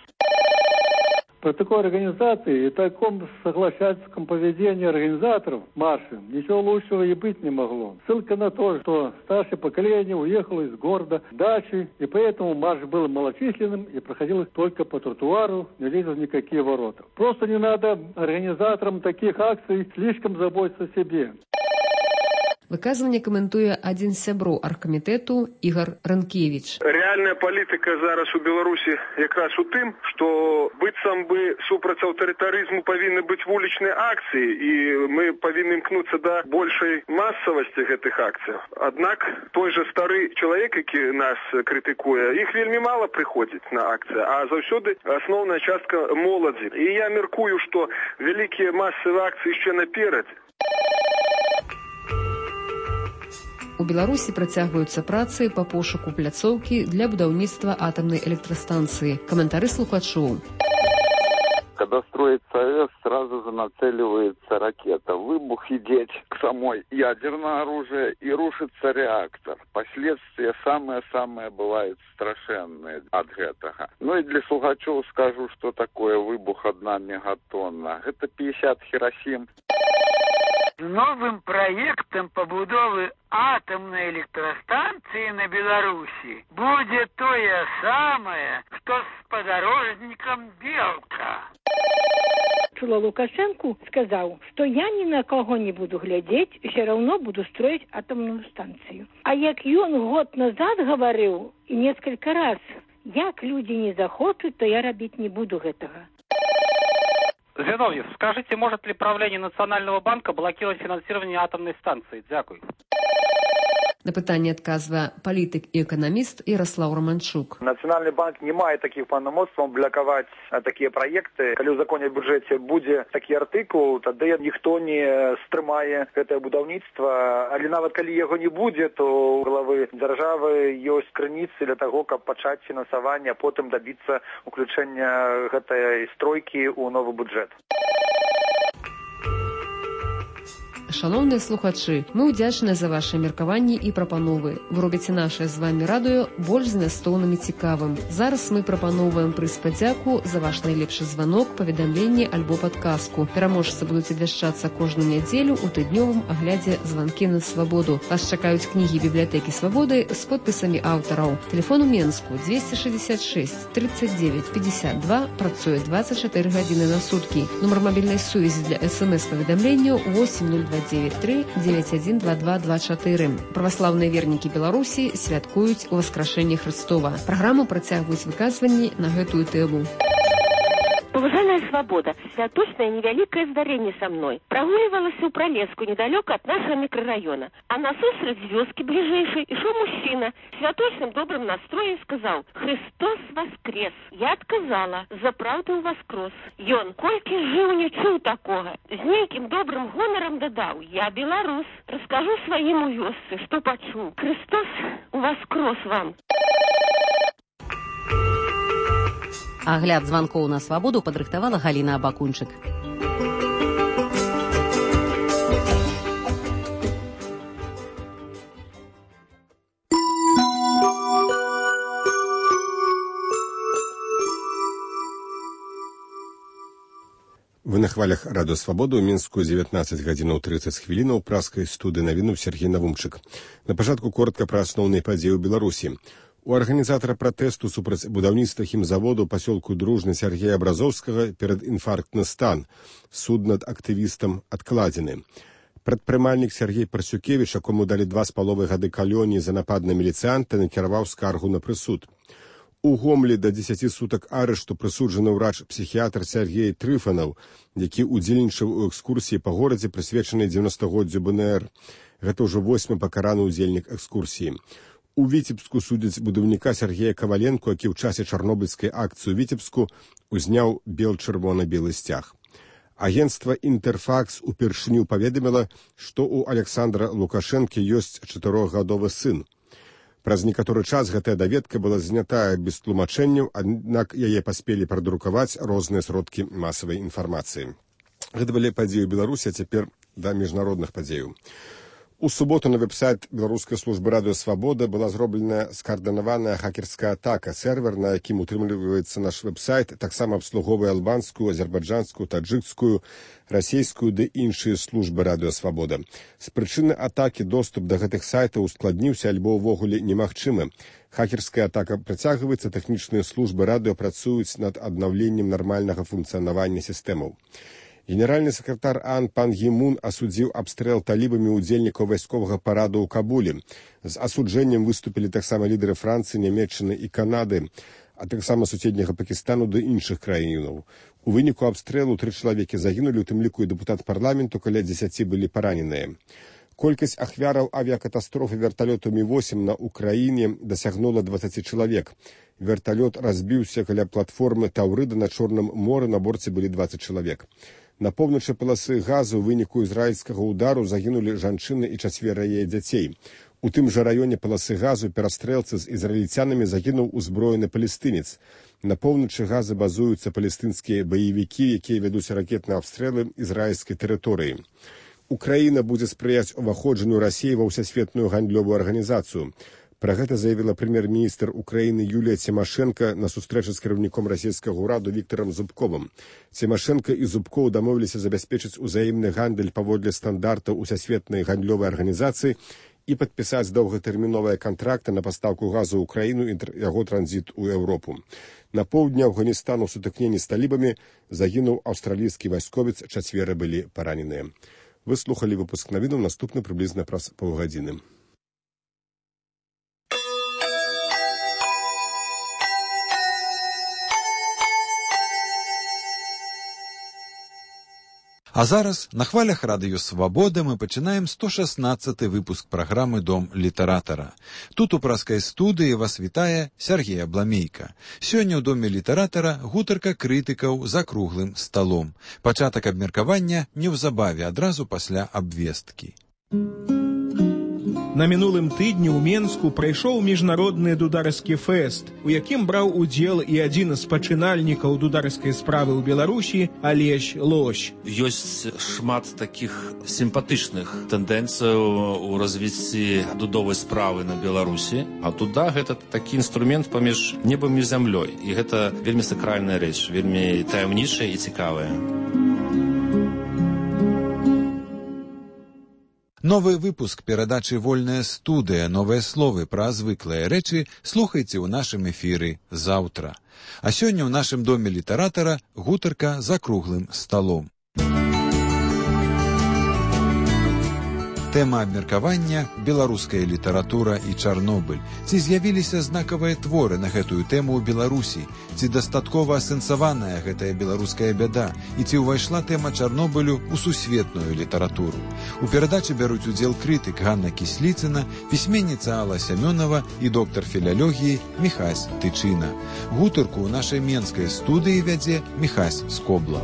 По такой организации и таком соглашательском поведении организаторов марша ничего лучшего и быть не могло. Ссылка на то, что старшее поколение уехало из города в дачи, и поэтому марш был малочисленным и проходил только по тротуару, не лезли в никакие ворота. Просто не надо организаторам таких акций слишком заботиться о себе. Выказыванне каментуе адзін з сяброў аргкамітэту Ігор Ранкевіч. Рэальная палітыка зараз у Беларусі якраз у тым, што быццам бы супраць аўтарытарызму павінны быць вулічныя акцыі, і мы павінны імкнуцца да большай масавасці гэтых акцый. Аднак той жа стары чалавек, які нас крытыкуе, іх вельмі мала прыходзіць на акцыі, а заўсёды асноўная частка моладзі. І я мяркую, што вялікія масавыя акцыі яшчэ наперадзе. У Беларусі працягваюцца працы па пошуку пляцоўкі для будаўніцтва атамнай электрастанцыі. Каментары слухачоў. Когда строится АЭС, сразу же нацеливается ракета. Выбух идет к самой ядерное оружие и рушится реактор. Последствия самые бывают страшенные от этого. Ну и для слухачов скажу, что такое выбух 1 мегатонна. Это 50 Хиросим. Новым проектом побудовы атомной электростанции на Беларуси будет то же самое, что с подорожником Белка. Лукашенко сказал, что я ни на кого не буду глядеть, все равно буду строить атомную станцию. А як он год назад говорил, и несколько раз, як люди не захочут, то я робить не буду этого. Зиновьев, скажите, может ли правление Национального банка блокировать финансирование атомной станции? Дякую. На пытанне адказвае палітык і эканаміст Ярослав Романчук. Национальный банк не мае таких паўнамоцтваў блокаваць такія праекты. Калі ў законе аб бюджэце будзе такі артыкул, тады ніхто не стрымае гэтае будаўніцтва. Але нават калі яго не будзе, то у главы дзяржавы ёсць крыніцы для таго, каб пачаць фінансаванне, а потым дабіцца уключэння гэтай стройкі ў новы бюджэт. Шановныя слухачы, мы ўдзячныя за ваши меркаванні і прапановы. Вы робіце нашае з вамі радыё больш змястоўным і цікавым. Зараз мы прапаноўваем прыз падзяку за ваш найлепшы званок, паведамленне альбо падказку. Пераможцы будуць абвяшчацца кожную нядзелю ў тыднёвым аглядзе «Званкі на свабоду». Вас чакаюць кнігі бібліятэкі свабоды з подпісамі аўтараў. Тэлефон у Менску 266 39 52, працуе 24 гадзіны на суткі. Нумар мабільнай сувязі для СМС-паведамленняў 8029 912224. Праваслаўныя вернікі Беларусі святкуюць Уваскрашэнне Хрыстова. Праграму працягваюць выказванні на гэтую тэму. Уважаемая свобода, святочное невеликое здарение со мной. Прогуливалась у Пролеску, недалеко от нашего микрорайона. А насустречь з вёски ближайшей и шел мужчина. Святочным добрым настроем сказал: «Христос воскрес». Я отказала: «За правду воскрес». Ён, кольки жил, не чуў такого. З нейким добрым гонором додал: «Я белорус. Расскажу своим у вёсцы, что почуў. Христос воскрес вам». Агляд званкоў на свабоду падрыхтавала Галіна Абакунчык. Вы на хвалях радыё «Свабода» ў Мінску 19 гадзінаў 30 хвілінаў праскай студыі навінуў Сергей Навумчык. На пачатку коротка пра асноўныя падзеі ў Беларусі. У арганізатара пратэсту супраць будаўніцтва хімзаводу ў пасёлку Дружны Сергея Абразоўскага перадінфарктны стан. Суд над актывістам адкладзены. Прадпрымальнік Сергей Парсюкевіч, якому далі 2,5 гады калоніі за напад на міліцыянта, накіраваў скаргу на прысуд. У Гомлі да 10 сутак арышту прысуджаны ўрач-псіхіятр Сергей Трыфанаў, які ўдзельнічаў у экскурсіі па горадзе, прысвечанай 90-годдзю БНР. Гэта ўжо 8-й пакараны ўдзельнік экскурсіі. У Віцебску судзяць будаўніка Сергея Каваленко, які ў часе чарнобыльскай акцыі ў Віцебску узняў бел-чырвона-белы сцяг. Агенцтва «Інтэрфакс» упершыню паведаміла, што ў Александра Лукашэнкі ёсць 4-гадовы сын. Праз некаторы час гэтая даведка была знятая без тлумачэнняў, аднак яе паспелі прадрукаваць розныя сродкі масавай інфармацыі. Гэта былі падзеі ў Беларусі, а цяпер да міжнародных падзеяў. У суботу на веб-сайт Беларускай службы радыё «Свабода» была зробленая скаардынаваная хакерская атака. Сервер, на якім утрымліваецца наш веб-сайт, таксама абслуговвае албанскую, азербайджанскую, таджыкскую, расійскую ды іншыя службы радыё «Свабода». З прычыны атакі доступ да гэтых сайтаў ускладніўся альбо ўвогуле немагчымы. Хакерская атака працягваецца, тэхнічныя службы радыё працуюць над аднаўленнем нармальнага функцыянавання сістэмаў. Генеральны сакратар ААН пан Гі Мун асудзіў абстрэл талібамі ўдзельнікаў вайсковага параду ў Кабулі. З асуджэннем выступілі таксама лідары Францыі, Нямецчыны і Канады, а таксама суседняга Пакістану ды іншых краінаў. У выніку абстрэлу 3 чалавекі загінулі, у тым ліку і дэпутат парламенту, каля 10 былі параненыя. Колькасць ахвяраў авіякатастрофы верталёту Мі-8 на Украіне дасягнула 20 чалавек. Верталёт разбіўся каля платформы Таўрыда на Чорным моры, на борце былі 20 чалавек. На поўначы паласы газу ў выніку ізраільскага ўдару загінулі жанчыны і 4 яе дзяцей. У тым жа раёне паласы газу перастрэлцы з ізраільцянамі загінуў узброены палестынец. На поўначы газа базуюцца палестынскія баевікі, якія вядуць ракетныя абстрэлы ізраільскай тэрыторыі. Украіна будзе спрыяць уваходжанню Расіі ва ўсесветную гандлёвую арганізацыю. Пра гэта заявіла прэм'ер-міністр Украіны Юлія Цімашэнка на сустрэчы з кіраўніком расійскага ўраду Віктарам Зубковым. Цімашэнка і Зубкоў дамовіліся забяспечыць узаемны гандаль паводле стандартаў усесветнай гандлёвай арганізацыі і падпісаць доўгатэрміновыя кантракты на пастаўку газу ў Украіну і яго транзіт у Еўропу. На поўдні Афганістану ў сутыкненні з талібамі загінуў аўстралійскі вайсковец, 4 былі параненыя. Вы слухалі выпуск навінаў, наступны прыблізна праз паўгадзіны. А зараз на хвалях радыё «Свабода» мы пачынаем 116-й выпуск праграмы «Дом літаратара». Тут у праскай студыі вас вітае Сергей Абламейка. Сёння ў Доме літаратара гутарка крытыкаў за круглым сталом. Пачатак абмеркавання неўзабаве, адразу пасля абвесткі. На мінулым тыдні ў Менску прайшоў міжнародны дударскі фэст, у якім браў удзел і адзін з пачынальнікаў дударскай справы ў Беларусі Алесь Лось. Ёсць шмат такіх сімпатычных тэндэнцыяў у развіцці дудовай справы на Беларусі, а дуда гэта такі інструмент паміж небам і зямлёй, і гэта вельмі сакральная рэч, вельмі таямнічая і цікавая. Новы выпуск перадачы «Вольная студыя. Новыя словы пра звыклыя рэчы» слухайце ў нашым эфіры заўтра. А сёння ў нашым доме літаратара гутарка за круглым сталом. Тэма абмеркавання – беларуская літаратура і Чарнобыль. Ці з'явіліся знакавыя творы на гэтую тэму ў Беларусі? Ці дастаткова асэнсаваная гэтая беларуская бяда? І ці ўвайшла тэма Чарнобылю ў сусветную літаратуру? У перадачы бяруць удзел крытык Ганна Кісліцына, пісьменніца Алла Сямёнова і доктар філалогіі Міхась Тычына. Гутарку ў нашай менскай студыі вядзе Міхась Скобла.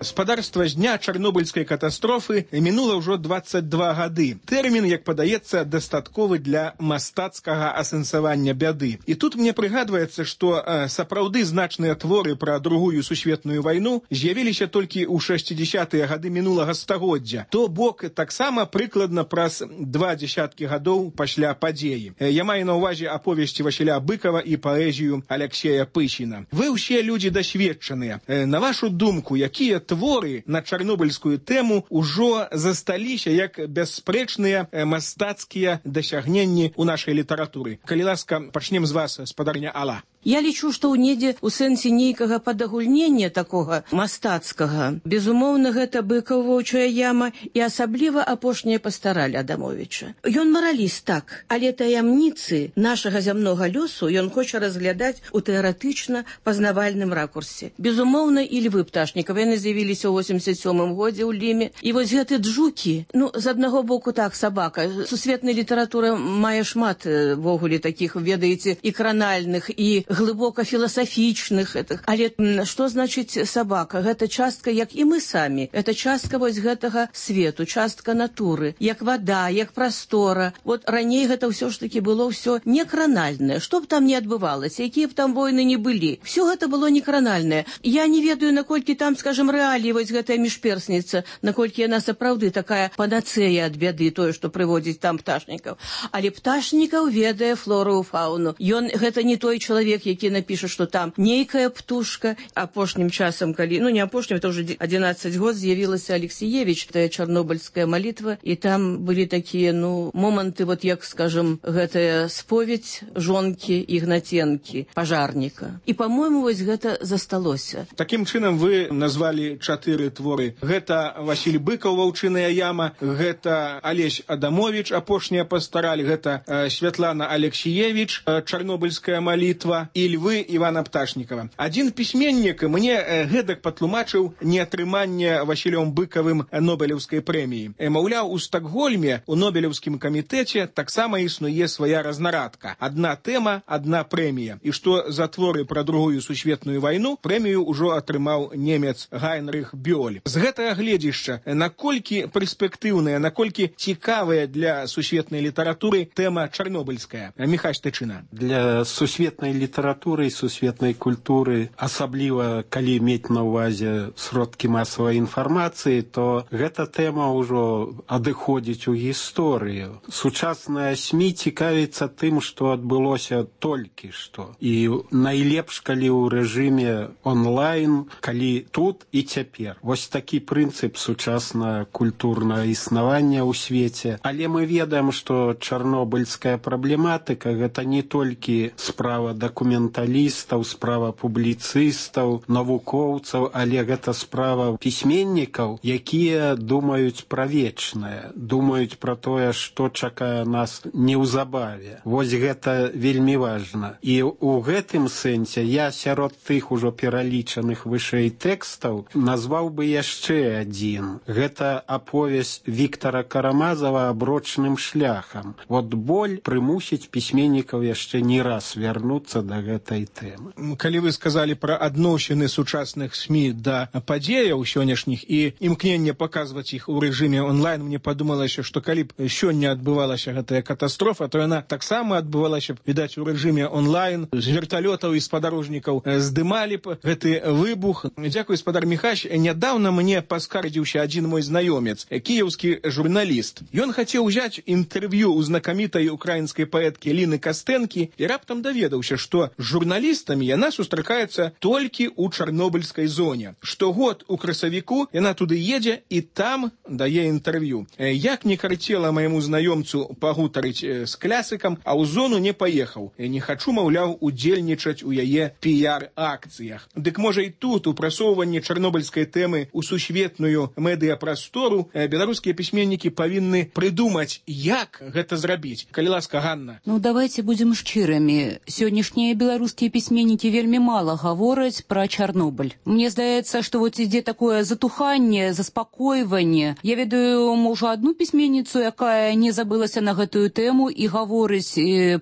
Спадарства з дня чарнобыльскай катастрофы мінула ўжо 22 гады. Тэрмін, як падаецца, дастатковы для мастацкага асэнсавання бяды. І тут мне прыгадваецца, што сапраўды значныя творы пра Другую сусветную вайну з'явіліся толькі ў 60-тыя гады мінулага стагоддзя. То бок таксама прыкладна праз 20 гадоў пасля падзеі. Я маю на ўвазе аповесці Васіля Быкова і паэзію Аляксея Пысіна. Вы ўсе людзі дасведчаныя. На вашу думку, якія творы на чарнобыльскую тэму ўжо засталіся як бясспрэчныя мастацкія дасягненні ў нашай літаратуры? Калі ласка, пачнем з вас, спадарня Алла. Я лічу, што ў недзе ў сэнсе нейкага падагульнення такога мастацкага, безумоўна, гэта Быкаў «Воўчая яма» і асабліва апошняя пастараль Адамовіча. Ён мараліст, так, але таямніцы нашага зямнога лёсу ён хоча разглядаць у тэарэтычна пазнавальным ракурсе. Безумоўна, і Львы Пташнікава, яны з'явіліся ў 87-м годзе ў Ліме. І вось гэты джукі, з аднаго боку так, сабака. Сусветная літаратура мае шмат вогуле такіх, ведаеце, і кранальных, і глыбока філасафічных. Але што значыць сабака? Гэта частка, як і мы самі. Гэта частка вось гэтага свету, частка натуры, як вада, як прастора. Вот раней гэта ўсё ж такі было ўсё не кранальнае. Што б там не адбывалася, якія б там войны не былі. Всё гэта было не кранальнае. Я не ведаю, наколькі там, скажем, рэаліі вось гэтая міжперсніца, наколькі яна сапраўды такая панацэя ад бяды, тое, што прыводзіць там Пташнікаў. Але Пташнікаў ведае флору і фауну. Ён гэта не той чалавек, які напіша, што там нейкая птушка. Апошнім часам, калі, не апошнім, это ўжо 11 год з'явілася Алексіевіч, тая чарнобыльская малітва, і там былі такія, моманты, вот як, скажем, гэтая споведь жонкі Ігнаценкі, пажарніка. І, па-мойму, вось гэта засталося. Такім чынам вы назвалі 4 творы. Гэта Васіль Быкаў «Ваўчыная яма», гэта Алесь Адамовіч «Апошняя пастараль», гэта Святлана Алексіевіч «Чарнобыльская малітва» і Львы Івана Пташнікава. Адзін пісьменнік мне гэтак патлумачыў неатрыманне Васілём Быкавым Нобелеўскай прэміі. Маўляў, у Стакгольме у Нобелеўскім камітэце таксама існуе свая разнарадка. Адна тэма, адна прэмія. І што за творы пра Другую сусветную вайну прэмію ўжо атрымаў немец Гайнрых Бёль. З гэтага гледзішча, наколькі перспектыўная, наколькі цікавая для сусветнай літаратуры тэма чарнобыльская? Міхась Тычына. Для сусветнай літаратуры і сусветнай культуры, асабліва калі мець на ўвазе сродкі масавай інфармацыі, то гэта тэма ўжо адыходзіць у гісторыю. Сучасная СМІ цікавіцца тым, што адбылося толькі што. І найлепш, калі ў рэжыме онлайн, калі тут і цяпер. Вось такі прынцып сучасна-культурнага існавання ў свеце. Але мы ведаем, што чарнобыльская праблематыка гэта не толькі справа дакументалістаў, справа публіцыстаў, навукоўцаў, але гэта справа пісьменнікаў, якія думаюць пра вечнае, думаюць пра тое, што чакае нас неўзабаве. Вось гэта вельмі важна. І ў гэтым сэнсе я сярод тых ужо пералічаных вышэй тэкстаў назваў бы яшчэ адзін. Гэта аповесць Віктара Карамазава «Аброчным шляхам». Вот боль прымусіць пісьменнікаў яшчэ не раз вярнуцца да да гэтай тэмы. Калі вы сказалі пра адносіны сучасных СМІ да падзеяў сённяшніх і імкненне паказваць іх у рэжыме онлайн, мне падумалася, што калі б сёння адбывалася гэтая катастрофа, то яна таксама адбывалася, відаць, у рэжыме онлайн. З верталётаў і спадарожнікаў здымалі б гэты выбух. Дзякуй, спадар Міхась. Нядаўна мне паскардзіўся адзін мой знаёмец, кіеўскі журналіст. Ён хацеў узяць інтэрв'ю у знакамітай украінскай паэткі Ліны Кастэнкі і раптам даведаўся, што з журналістамі яна сустракаецца толькі ў чарнобыльскай зоне. Штогод у красавіку яна туды едзе і там дае інтэрв'ю. Як не карцела майму знаёмцу пагутарыць з клясыкам, а ў зону не паехаў. Не хачу, маўляў, удзельнічаць у яе піяр-акцыях. Дык можа і тут у прасоўванні чарнобыльскай тэмы ў сусветную медыяпрастору беларускія пісьменнікі павінны прыдумаць, як гэта зрабіць. Калі ласка, Ганна. Ну, давайте будем шчырамі. Сённяшнія беларускія пісьменнікі вельмі мала гавораць пра Чарнобыль. Мне здаецца, што вот ідзе такое затуханне, заспакойванне. Я ведаю, можа, одну пісьменніцу, якая не забылася на гэтую тэму і гаворыць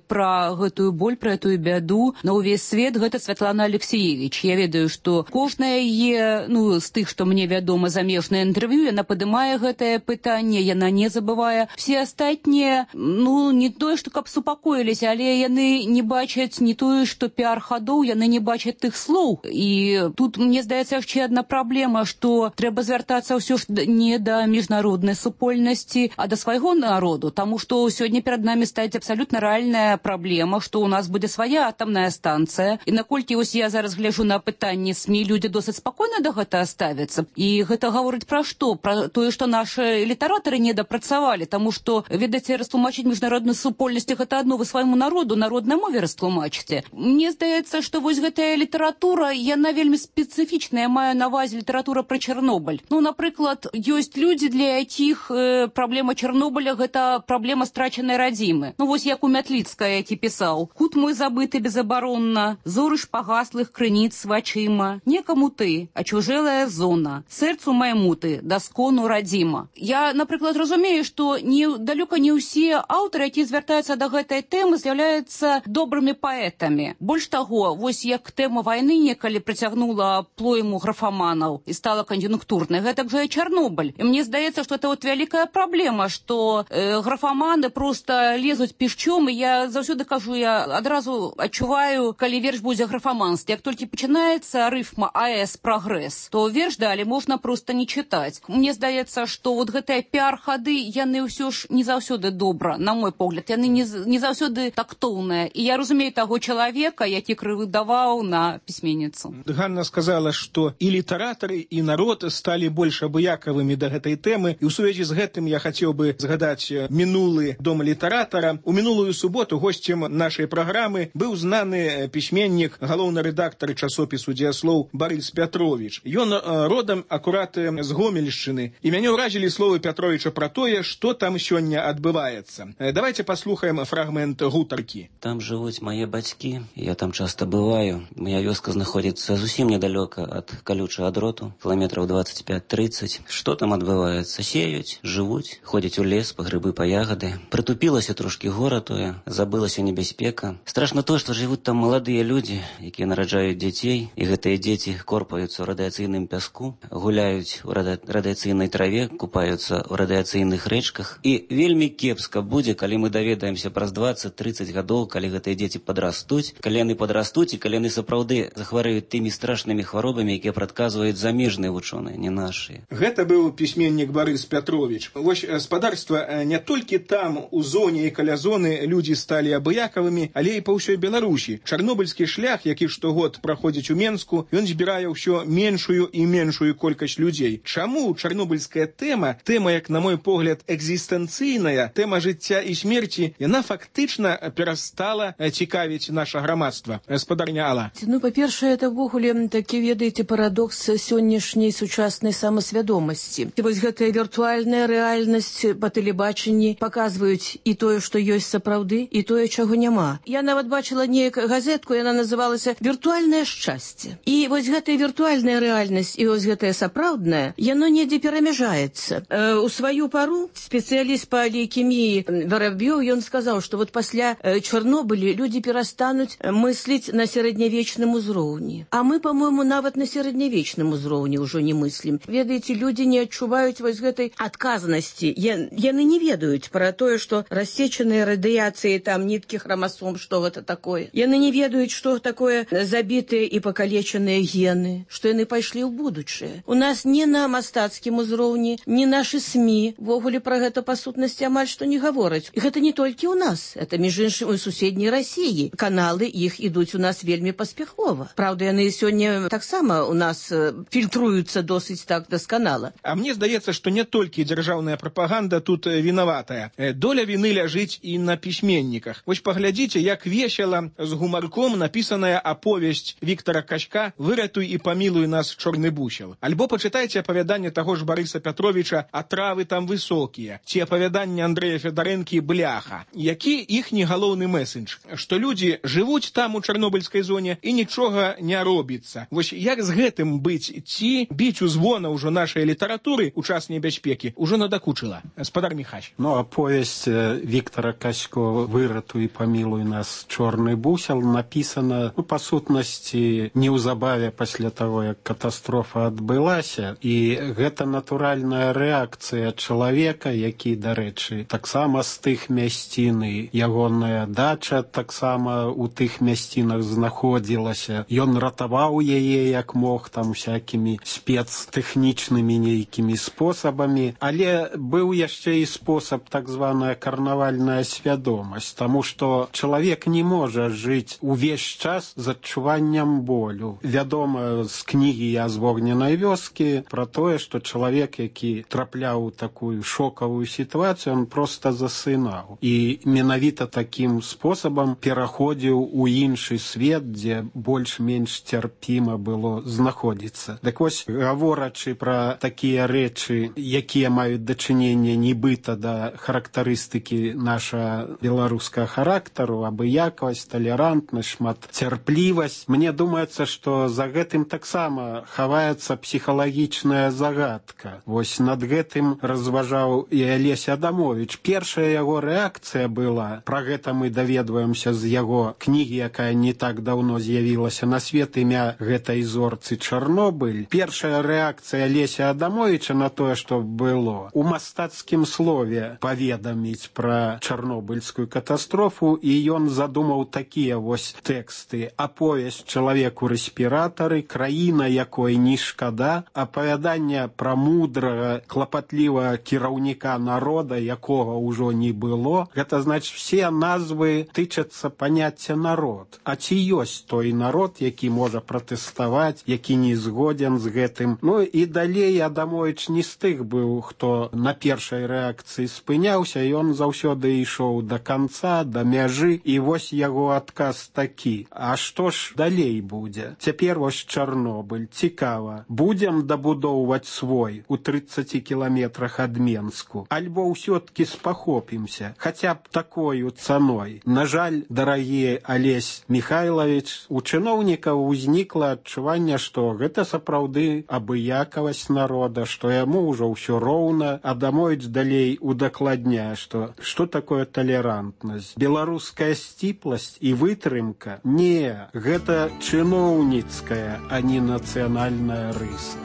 пра гэтую боль, пра эту бяду на ўвесь свет. Гэта Святлана Алексеевич. Я ведаю, што кожная яе, з тых, што мне вядома, замежнае інтэрв'ю, яна падымае гэтае пытанне, яна не забывае. Все астатнія, не тое, што каб супакоіліся, але яны не бачаць не тое, што піар-хадоў, яны не бачаць тых слоў. І тут, мне здаецца, яшчэ адна праблема, што трэба звяртацца ўсё ж не да міжнароднай супольнасці, а да свайго народу, таму што сёння перад намі стаіць абсалютна рэальная праблема, што ў нас будзе свая атамная станцыя. І наколькі вось я зараз гляжу на пытанне СМІ, людзі досыць спакойна да гэтага ставяцца. І гэта гаворыць пра што? Пра тое, што нашы літаратары не дапрацавалі, таму што, ведаце, растлумачыць міжнародную супольнасць гэта адно, вы свайму народу, народнай мове растлумачыце. Мне здаецца, што вось гэтая літаратура, яна вельмі спецыфічная, я маю на ўвазе літаратура пра Чарнобыль. Напрыклад, ёсць людзі, для якіх праблема Чарнобыля гэта праблема страчанай радзімы. Вось як у Мятліцкая, які пісаў: «Кут мой забыты безабаронна, зоры шпагаслых крыніц вачыма, некаму ты, а чужэлая зона, сэрцу майму ты, даскону радзіма». Я, напрыклад, разумею, што далёка не ўсе аўтары, якія звяртаюцца да гэтай тэмы, з'яўляюцца добрымі паэтамі. Больш таго, вось як тэма вайны некалі прыцягнула плойму графаманаў і стала кан'юнктурнай, гэтак жа і Чарнобыль. І мне здаецца, што это вялікая праблема, што графаманы проста лезуць пішчом, і я заўсёды кажу, я адразу адчуваю, калі верш будзе графаманскі. Як толькі пачынаецца рыфма АЭС прагрэс, то верш далі можна проста не чытаць. Мне здаецца, што вот гэтыя піар-хады, яны ўсё ж не заўсёды добра, на мой погляд, яны не заўсёды тактоўныя. І я разумею таго чалавека, які крывыдаваў на пісьменніцу. Ганна сказала, што і літаратары, і народ сталі больш абыякавымі да гэтай тэмы. І ў сувязі з гэтым я хацеў бы згадаць мінулы дом літаратара. У мінулую суботу госцем нашай праграмы быў знаны пісьменнік, галоўны рэдактар часопісу «Дзеяслоў» Барыс Пятровіч. Ён родам акурат з Гомельшчыны. І мяне ўразілі словы Пятровіча пра тое, што там сёння адбываецца. Давайте паслухаем фрагмент гутаркі. Там жывуць мае бацькі, я там часта бываю. Моя вёска знаходзіцца зусім недалёка ад калючага дроту, кіламетраў 25-30. Што там адбываецца? Сеюць, жывуць, ходзяць у лес па грыбы, па ягады. Прытупілася трошкі гора тое, забылася небяспека. Страшна то, што жывуць там маладыя людзі, якія нараджаюць дзяцей, і гэтыя дзеці корпаюцца ў радыяцыйным пяску, гуляюць у радыяцыйнай траве, купаюцца ў радыяцыйных рэчках. І вельмі кепска будзе, калі мы даведаемся праз 20-30 гадоў, калі гэтыя дзеці падрастуць, калі яны падрастуць і калі яны сапраўды захварэюць тымі страшнымі хваробамі, якія прадказваюць замежныя вучоныя, не нашыя. Гэта быў пісьменнік Барыс Пятровіч. Вось спадарства, не толькі там, у зоне і каля зоны, людзі сталі абыякавымі, але і па ўсёй Беларусі. Чарнобыльскі шлях, які штогод праходзіць у Менску, ён збірае ўсё меншую і меншую колькасць людзей. Чаму чарнобыльская тэма, як на мой погляд, экзістэнцыйная, тэма жыцця і смерці, яна фактычна перастала цікавіць наша грамадства? Спадарня Алла. Па-першае, это ўвогуле такі, ведаеце, парадокс сённяшняй сучаснай самасвядомасці. Вось гэтая віртуальная рэальнасць па тэлебачанні паказваюць і тое, што ёсць сапраўды, і тое, чаго няма. Я нават бачыла неяк газетку, яна называлася «Віртуальнае шчасце». І вось гэтая віртуальная рэальнасць і вось гэтая сапраўдная, яно недзе перамяжаецца. У сваю пару спецыяліст па лейкеміі Вараб'ёў, ён сказаў, што вот пасля Чарнобыля людзі перастануць пачнуць мысліць на сярэднявечным узроўні. А мы, по-моему, нават на сярэднявечным узроўні ўжо не мыслім. Ведаеце, людзі не адчуваюць вось гэтай адказнасці. Яны не ведаюць пра тое, што рассечаныя радыяцыі, там ніткі хромасом, што гэта такое. Яны не ведаюць, што такое забітыя і пакалечаныя гены, што яны пайшлі ў будучае. У нас не на мастацкім узроўні, не нашы СМІ ввогуле пра гэта па сутнасці амаль што не гавораць. І гэта не толькі ў нас, это між іншым у суседняй Расіі. Каналы іх ідуць у нас вельмі паспяхова. Праўда, яны сёння таксама у нас фільтруюцца досыць так дасканала. А мне здаецца, што не толькі дзяржаўная прапаганда тут вінаватая. Доля віны ляжыць і на пісьменніках. Вось паглядзіце, як весела з гумарком напісаная аповесць Віктара Качка «Выратуй і памілуй нас, чорны бусел». Альбо пачытайце апавяданне таго ж Барыса Пятровіча «Атравы там высокія», ці апавяданне Андрэя Федарэнкі «Бляха». Які іхні галоўны месендж? Што людзі жывуць там у чарнобыльскай зоне і нічога не робіцца. Вось як з гэтым быць? Ці біць у звона ўжо нашай літаратуры ў час небяспекі ўжо надакучыла? Гаспадар Міхась. Аповесць Віктара Качко «Выратуй і памілуй нас, чорны бусел» напісана, па сутнасці, неўзабаве пасля таго, як катастрофа адбылася. І гэта натуральная рэакцыя чалавека, які, дарэчы, таксама з тых мясцін, ягоная дача таксама ў тых мясцінах знаходзілася. Ён ратаваў яе як мог, там всякімі спецтэхнічнымі нейкімі спосабамі, але быў яшчэ і спосаб так званая карнавальная свядомасць, таму што чалавек не можа жыць увесь час з адчуваннем болю. Вядома з кнігі «Я з вогненай вёскі» пра тое, што чалавек, які трапляў у такую шокавую сітуацыю, он проста засынаў. І менавіта такім спосабам пераходзіў у іншы свет, дзе больш-менш цярпіма было знаходзіцца. Так вось, гаворачы пра такія рэчы, якія маюць дачыненне нібыта да характарыстыкі наша беларускага характару, абыякавасць, талерантнасць, шматцярплівасць, мне думаецца, што за гэтым таксама хаваецца псіхалагічная загадка. Вось над гэтым разважаў і Алесь Адамович. Першая яго рэакцыя была, пра гэта мы даведваемся з яго кнігі, якая не так даўно з'явілася на свет, імя гэтай зорцы Чарнобыль. Першая рэакцыя Алеся Адамовича на тое, што было, у мастацкім слове паведаміць пра чарнобыльскую катастрофу, і ён задумаў такія вось тэксты. Аповесць чалавеку рэспіратары, краіна, якой не шкада, апавяданне пра мудрага, клапатлівага кіраўніка народа, якога ўжо не было. Гэта значыць, все назвы тычацца паняцця народ. А ці ёсць той народ, які можа пратэставаць, які не згоден з гэтым? Ну і далей Адамович не з тых быў, хто на першай рэакцыі спыняўся, ён заўсёды ішоў да канца, да мяжы, і вось яго адказ такі. А што ж далей будзе? Цяпер вось Чарнобыль. Цікава. Будзем дабудоўваць свой у 30 кіламетрах ад Менску? Альбо ўсё-ткі спахопімся, хаця б такою цаной? На жаль, дарагі Алесь Михайлович, у чыноўнікаў узнікла адчуванне, што гэта сапраўды абыякавасць народа, што яму ўжо ўсё роўна. Адамович далей удакладняе, што такое талерантнасць. Беларуская сціпласць і вытрымка? Не, гэта чыноўніцкая, а не нацыянальная рыса.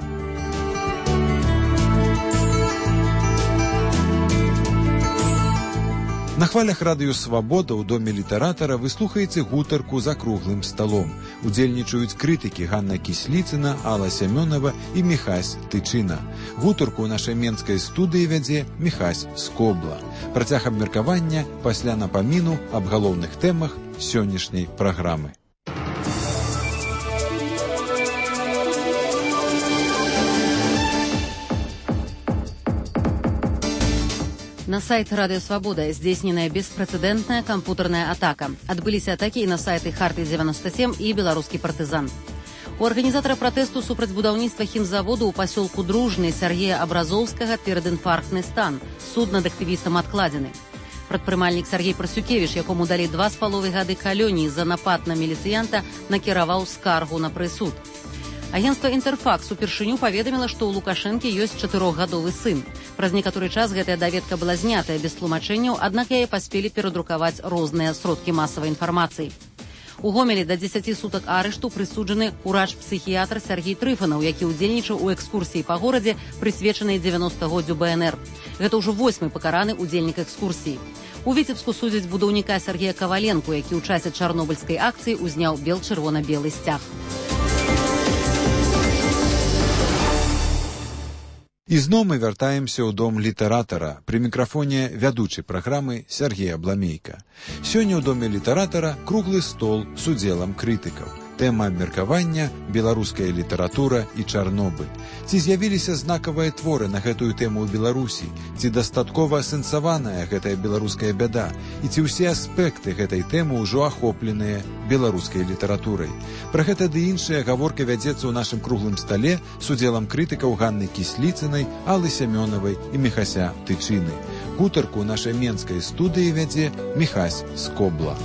На хвалях радыё «Свабода» ў доме літаратара вы слухаеце гутарку за круглым сталом. Удзельнічаюць крытыкі Ганна Кісліцына, Алла Сямёнова і Міхась Тычына. Гутарку ў нашай менскай студыі вядзе Міхась Скобла. Працяг абмеркавання пасля напаміну аб галоўных тэмах сённяшняй праграмы. На сайт «Радио Свобода» здзейсненая беспрэцэдэнтная кампутарная атака. Адбыліся атакі і на сайты «Харты-97» і «Беларускі партызан». У арганізатара пратэсту супраць будаўніцтва хімзаводу ў пасёлку Дружны Сергея Абразоўскага перадінфарктны стан. Суд над актывістам адкладзены. Прадпрымальнік Сергей Прасюкевіч, якому далі 2,5 гады калоніі за напад на міліцыянта, накіраваў скаргу на прысуд. Агенцтва «Інтэрфакс» упершыню паведаміла, што ў Лукашэнкі ёсць 4-гадовы сын. Праз некаторы час гэтая даведка была знятая без тлумачэнняў, аднак яе паспелі перадрукаваць розныя сродкі масавай інфармацыі. У Гомелі да 10 сутак арышту прысуджаны урач-псіхіятр Сергей Трыфанаў, які ўдзельнічаў у экскурсіі па горадзе, прысвечанай 90-годдзю БНР. Гэта ўжо 8-й пакараны удзельнік экскурсіі. У Віцебску судзяць будаўніка Сергея Каваленку, які ў часе чарнобыльскай акцыі узняў бел-чырвона-белы сцяг. Ізноў мы вяртаемся ў дом літаратара. Пры мікрафоне вядучай праграмы Сергей Абламейка. Сёння ў доме літаратара круглы стол з удзелам крытыкаў. Тэма абмеркавання – беларуская літаратура і Чарнобыль. Ці з'явіліся знакавыя творы на гэтую тэму ў Беларусі? Ці дастаткова асэнсаваная гэтая беларуская бяда? І ці ўсе аспекты гэтай тэмы ўжо ахопленыя беларускай літаратурай? Пра гэта ды іншая гаворка вядзецца ў нашым круглым стале з удзелам крытыкаў Ганны Кісліцынай, Аллы Сямёнавай і Міхася Тычыны. Гутарку ў нашай менскай студыі вядзе Міхась Скобла.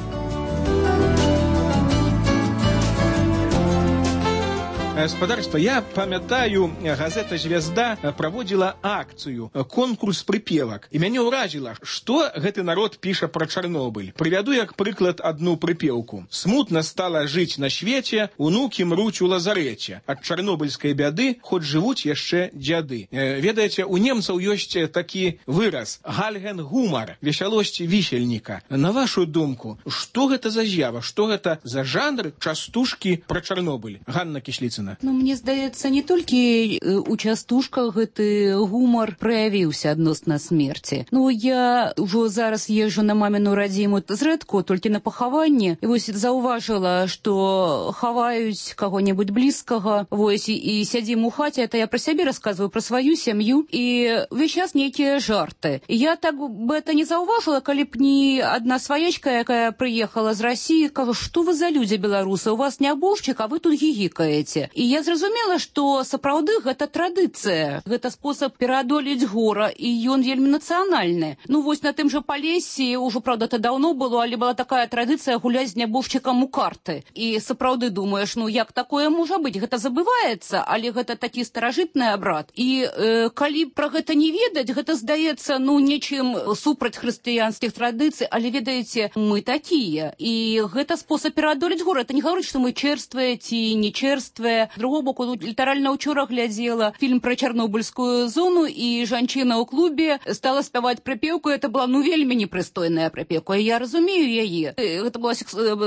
Спадарства, я памятаю, газета «Звезда» праводзіла акцыю, конкурс прыпевак. І мяне ўражыла, што гэты народ піша пра Чарнобыль. Прывяду як прыклад адну прыпеўку. «Смутна стала жыць на свеце, унукі мруць у лазарэце. Ад чарнобыльскай бяды хоць жывуць яшчэ дзяды». Ведаеце, у немцаў ёсць такі выраз «гальген-гумар», весялосць вісельніка. На вашу думку, што гэта за з'ява, што гэта за жанр частушкі пра Чарнобыль? Ганна Кісліцына. Ну, мне здаецца, не толькі у частушках гэты гумар праявіўся адносна смерці. Ну, я ўжо зараз езжу на маміну радзіму зрэдку, толькі на пахаванне. І вось заўважыла, што хаваюць каго-небудзь блізкага, вось, і сядзім у хаце, это я пра сябе расказваю, пра сваю сям'ю, і ўвесь час нейкія жарты. І я так бы это не заўважыла, калі б не адна сваячка, якая прыехала з Расіі, кажа, што вы за людзі беларусы, у вас нябожчык, а вы тут гігікаеце. І я зразумела, што сапраўды гэта традыцыя, гэта спосаб пераадолець гора, і ён вельмі нацыянальны. Ну вось на тым жа Палесе, ўжо, правда, это даўно было, але была такая традыцыя гуляць з нябожчыкам у карты. І сапраўды думаеш, ну як такое можа быць? Гэта забываецца, але гэта такі старажытны абрад. І калі пра гэта не ведаць, гэта здаецца, ну, нечым супраць хрысціянскіх традыцый, але ведаеце, мы такія. І гэта спосаб пераадолець гора. Это не гаворыць, што мы чэрствыя ці не чэрствыя. З другого боку, літаральна ўчора глядзела фільм пра чарнобыльскую зону, і жанчына ў клубе стала спяваць прыпеўку. Это была, ну, вельмі непрыстойная прыпеўка. Я разумею яе. Гэта была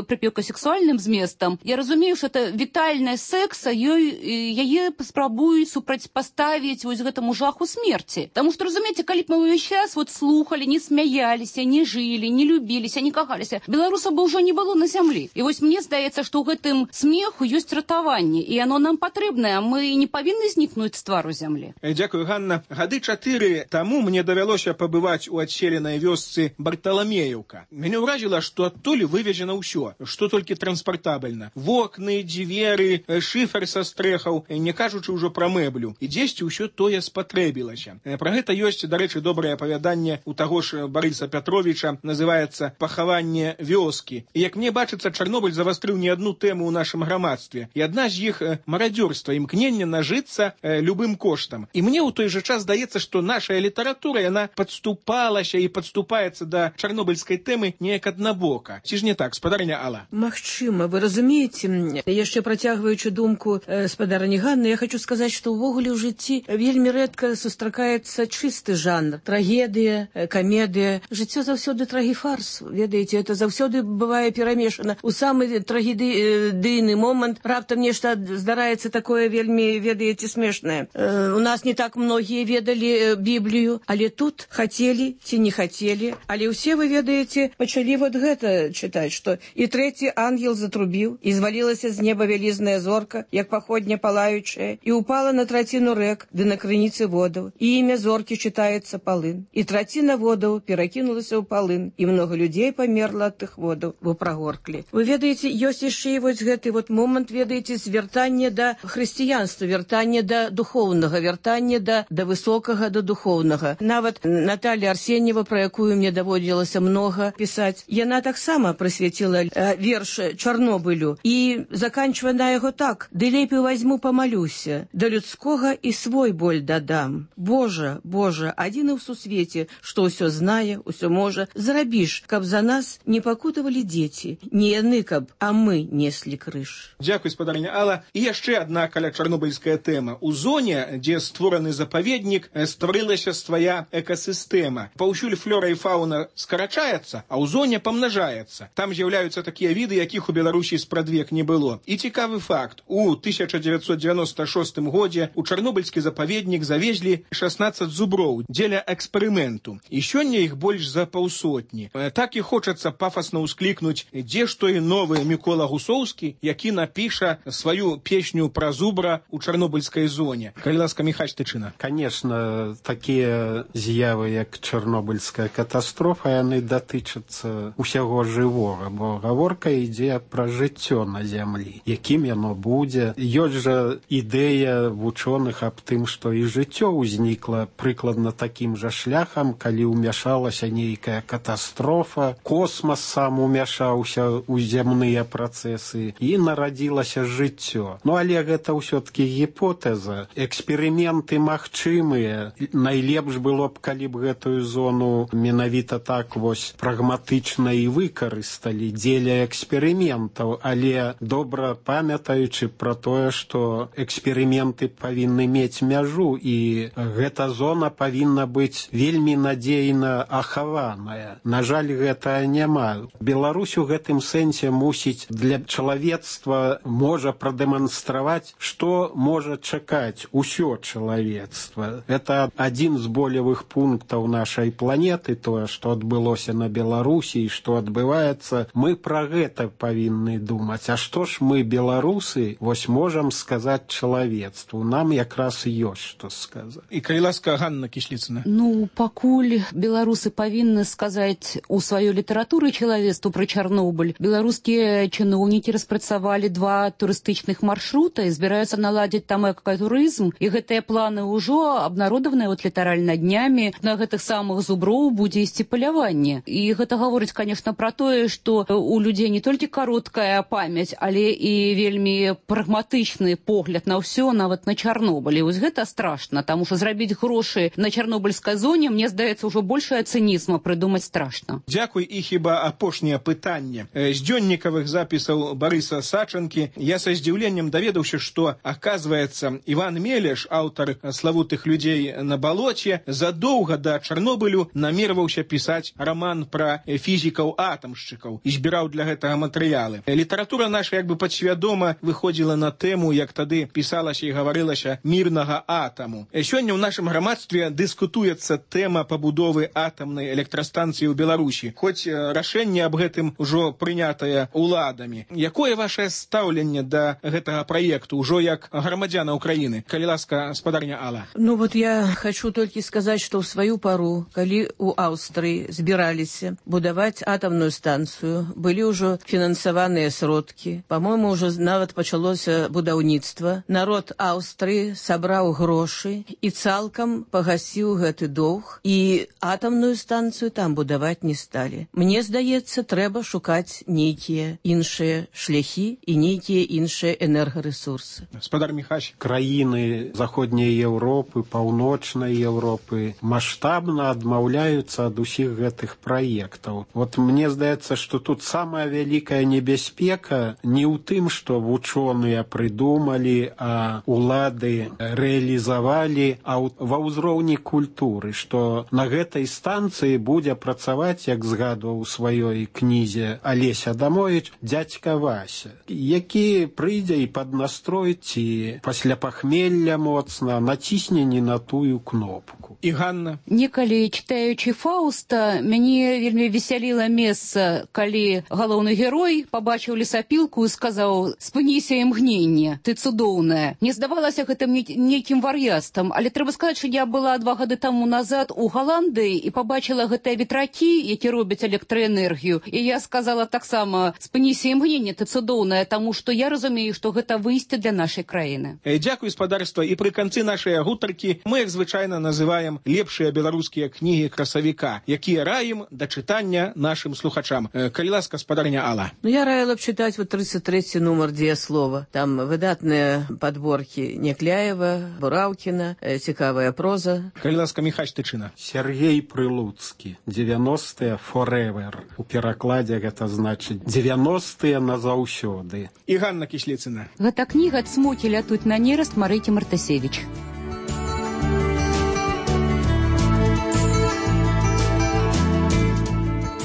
прыпеўка сексуальным зместам. Я разумею, што это вітальная секса, яе спрабуюць супрацьпаставіць вось гэтаму жаху смерці. Таму што, разумееце, калі б мы ўвесь час вот слухалі, не смяяліся, не жылі, не любіліся, не кахаліся, беларусаў бы ўжо не было на зямлі. І вось мне здаецца, што ў гэтым смеху ёсць ратаванне, і оно нам патрэбнае, мы не павінны знікнуць з твару зямлі. Дзякую, Ганна. Гады 4 таму мне давялося пабываць у адселенай вёсцы Барталамеевка. Мяне ўражыла, што адтуль вывезена ўсё, што толькі транспартабельна. Вокны, дзверы, шыфер са стрэхаў, не кажучы ўжо пра мэблю. І дзесьці ўсё тое спатрэбілася. Пра гэта ёсць, дарэчы, добрае апавяданне у таго ж Барыса Пятровіча, называецца «Пахаванне вёскі». І як мне бачыцца, Чарнобыль завастрыў не адну тэму ў нашым грамадстве. І адна з іх марадзёрства, імкнення нажыцца любым коштам. І мне ў той жа час здаецца, што нашая літаратура, яна падступалася і падступаецца да чарнобыльскай тэмы неяк аднабока. Ці ж не так, спадарня Алла? Магчыма, вы разумееце, яшчэ працягваючы думку спадарні Ганны, я хочу сказаць, што ўвогуле ў жыцці вельмі рэдка сустракаецца чысты жанр. Трагедыя, камедыя. Жыццё заўсёды трагіфарс. Ведаеце, это заўсёды бывае перамешана. У самы трагедыйны момант раптам нешта здараецца такое вельмі, ведаеце, смешнае. У нас не так многія ведалі Біблію, але тут хацелі ці не хацелі, але ўсе, вы ведаеце, пачалі вот гэта чытаць, што і трэці ангел затрубіў, і звалілася з неба вялізная зорка, як паходня палаючая, і упала на траціну рэк, ды на крыніцы водаў, і імя зоркі чытаецца Палын. І траціна водаў перакінулася ў Палын, і многа людзей памерла ад тых водаў, бо прагорклі. Вы ведаеце, ёсць яшчэ і вось гэты вот момант, ведаеце, звяртання вяртанне да хрысціянства, вяртанне да духоўнага, вяртанне да высокага, да духоўнага. Нават Наталья Арсеньева, про якую мне даводзілася много пісаць, яна таксама прысвяціла верш Чарнобылю і заканчвае на яго так: «Ды лепей возьму помолюся, да людскога і свой боль дадам. Божа, Божа, адзіны ў сусвеце, што ўсё знае, ўсё можа, зрабіш, каб за нас не пакутавалі дзеці, не яны, каб, а мы неслі крыж». Дзякуй, спадарня Алла. І яшчэ адна каля чарнобыльская тэма. У зоне, дзе створаны запаведнік, стварылася свая экасістэма. Паўсюль флора і фауна скарачаецца, а ў зоне памнажаецца. Там з'яўляюцца такія віды, якіх у Беларусі спрадвек не было. І цікавы факт. У 1996 годзе у чарнобыльскі запаведнік завезлі 16 зуброў дзеля эксперыменту. І сёння іх больш за паўсотні. Так і хочацца пафасна ўсклікнуць, дзе ж той новы Мікола Гусоўскі, які напіша сваю песню пра зубра у чарнобыльскай зоне. Калі ласка, Міхась Тычына. Конечно, такія з'явы, як чарнобыльская катастрофа, яны датычацца усяго жывога, бо гаворка ідзе пра жыццё на зямлі. Якім яно будзе? Ёсць жа ідэя вучоных аб тым, што і жыццё ўзнікла прыкладна такім жа шляхам, калі ўмяшалася нейкая катастрофа, космас сам умяшаўся ў зямныя працэсы і нарадзілася жыццё. Ну, але гэта ўсё-ткі гіпотэза. Эксперыменты магчымыя. Найлепш было б, калі б гэтую зону менавіта так вось прагматычна і выкарысталі дзеля эксперыментаў, але добра памятаючы пра тое, што эксперыменты павінны мець мяжу, і гэта зона павінна быць вельмі надзейна ахаваная. На жаль, гэта няма. Беларусь у гэтым сэнсе мусіць для чалавецтва можа прадэманстраваць, што можа чакаць усё чалавецтва. Это адзін з болевых пунктаў нашай планеты, тое, што адбылося на Беларусі і што адбываецца. Мы пра гэта павінны думаць. А што ж мы, беларусы, вось можам сказаць чалавецтву? Нам якраз ёсць што сказаць. І калі ласка, Ганна Кісліцына. Ну, пакуль беларусы павінны сказаць у сваёй літаратуры чалавецтву пра Чарнобыль, беларускія чыноўнікі распрацавалі 2 турыстычных маршрута і збіраюцца наладзіць там экатурызм, і гэтыя планы ўжо абнародаваныя вот літаральна днямі. На гэтых самых зуброў будзе ісці паляванне. І гэта гаворыць, конечно, пра тое, што у людзей не толькі кароткая памяць, але і вельмі прагматычны погляд на ўсё, нават на Чарнобыль. І вось гэта страшна, таму што зрабіць грошы на чарнобыльскай зоне, мне здаецца, ўжо большая цынізма прыдумаць страшна. Дзякуй. І хіба апошняе пытанне. З дзённікавых запісаў Барыса Сачанкі я са здзіўленнем даведаўся, што, аказваецца, Іван Мелеш, аўтар славутых людзей на балоце, задоўга да Чарнобылю намерваўся пісаць раман пра фізікаў-атамшчыкаў і збіраў для гэтага матэрыялы. Літаратура наша як бы падсвядома выходзіла на тэму, як тады пісалася і гаварылася, мірнага атаму. Сёння ў нашым грамадстве дыскутуецца тэма пабудовы атамнай электрастанцыі ў Беларусі, хоць рашэнне аб гэтым ужо прынятае уладамі. Якое вашае стаўленне да гэтага праекту ўжо як грамадзяна Украіны? Калі ласка, спадарня Алла. Ну вот я хочу толькі сказаць, што ў сваю пару, калі у Аўстрыі збіраліся будаваць атамную станцыю, былі ўжо фінансаваныя сродкі. Па-мойму, ўжо нават пачалося будаўніцтва. Народ Аўстрыі сабраў грошы і цалкам пагасіў гэты доўг, і атамную станцыю там будаваць не сталі. Мне здаецца, трэба шукаць нейкія іншыя шляхі і нейкія іншыя энергарэсурсы. Спадар Міхась. Краіны заходняй Еўропы, паўночнай Еўропы маштабна адмаўляюцца ад усіх гэтых праектаў. Вот мне здаецца, што тут самая вялікая небяспека не ў тым, што вучоныя прыдумалі, а улады рэалізавалі, а ва ўзроўні культуры, што на гэтай станцыі будзе працаваць, як згадваў у сваёй кнізе Алесь Адамовіч, дзядзька Вася, які прыйдзе і паднастроіць, і пасля пахмелля моцна націсне не на тую кнопку. І Ганна. Некалі, чытаючы Фауста, мяне вельмі весяліла месца, калі галоўны герой пабачыў лесапілку і сказаў: «Спыніся імгненне, ты цудоўная». Не здавалася гэтым нейкім вар'яцтвам, але трэба сказаць, што я была 2 гады таму назад у Галандыі і пабачыла гэтыя ветракі, які робяць электраэнергію. І я сказала таксама: «Спыніся імгненне, ты цудоўная», таму што я разумею, што гэта выйсце для нашай краіны. Дзякуй, спадарства, і пры канцы нашай гутаркі мы, як звычайна, называем лепшыя беларускія кнігі красавіка, якія раім да чытання нашым слухачам. Калі ласка, спадарня Алла. Я раила б читать вот 33-й номер «Дзеяслова». Там выдатныя подборки Некляева, Бураўкіна, цікавая проза. Калі ласка, Міхась Тычына. Сергей Прилуцкі. 90-е forever. У перакладзе гэта значыць 90-е назаўсёды. І Ганна Кісліцына. Гэта кніга «Цмокі лятуць на нераст» Марыкі Мартасевіч.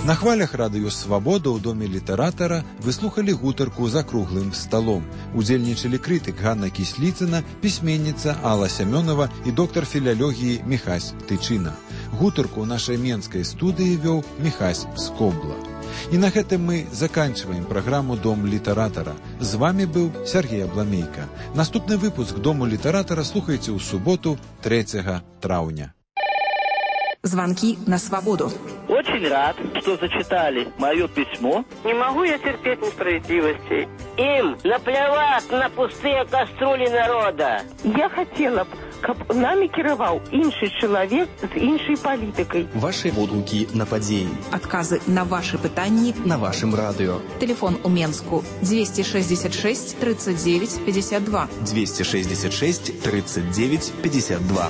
На хвалях радыё «Свабода» ў доме літаратара вы слухалі гутарку за круглым сталом. Удзельнічалі крытык Ганна Кісліцына, пісьменніца Алла Сямёнова і доктар філалогіі Міхась Тычына. Гутарку ў нашай менскай студыі вёў Міхась Скобла. І на гэтым мы заканчиваем праграму «Дом літаратара». З вами быў Сергей Абламейка. Наступны выпуск «Дому літаратара» слухайце ў суботу 3 траўня. Звонки на свободу. Очень рад, что зачитали мое письмо. Не могу я терпеть несправедливости. Им наплевать на пустые кастрюли народа. Я хотела б, каб нами кіраваў іншы чалавек з іншай палітыкай. Ваши водгукі на падзеі. Адказы на ваши пытанні на вашым радыё. Телефон у Менску 266 39 52. 266 39 52.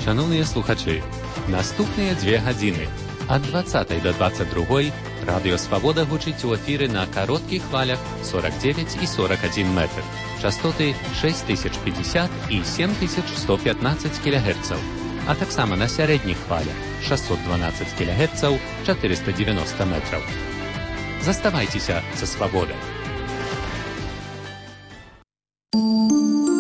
Шановні слухачі, наступні 2 години ад 20 до 22 Радіо Свобода гучить у ефірі на коротких хвалях 49 і 41 метр, частоти 6050 і 7115 кГц, а так само на середніх хвалях 612 кГц, 490 метрів. Заставайтеся со свободой.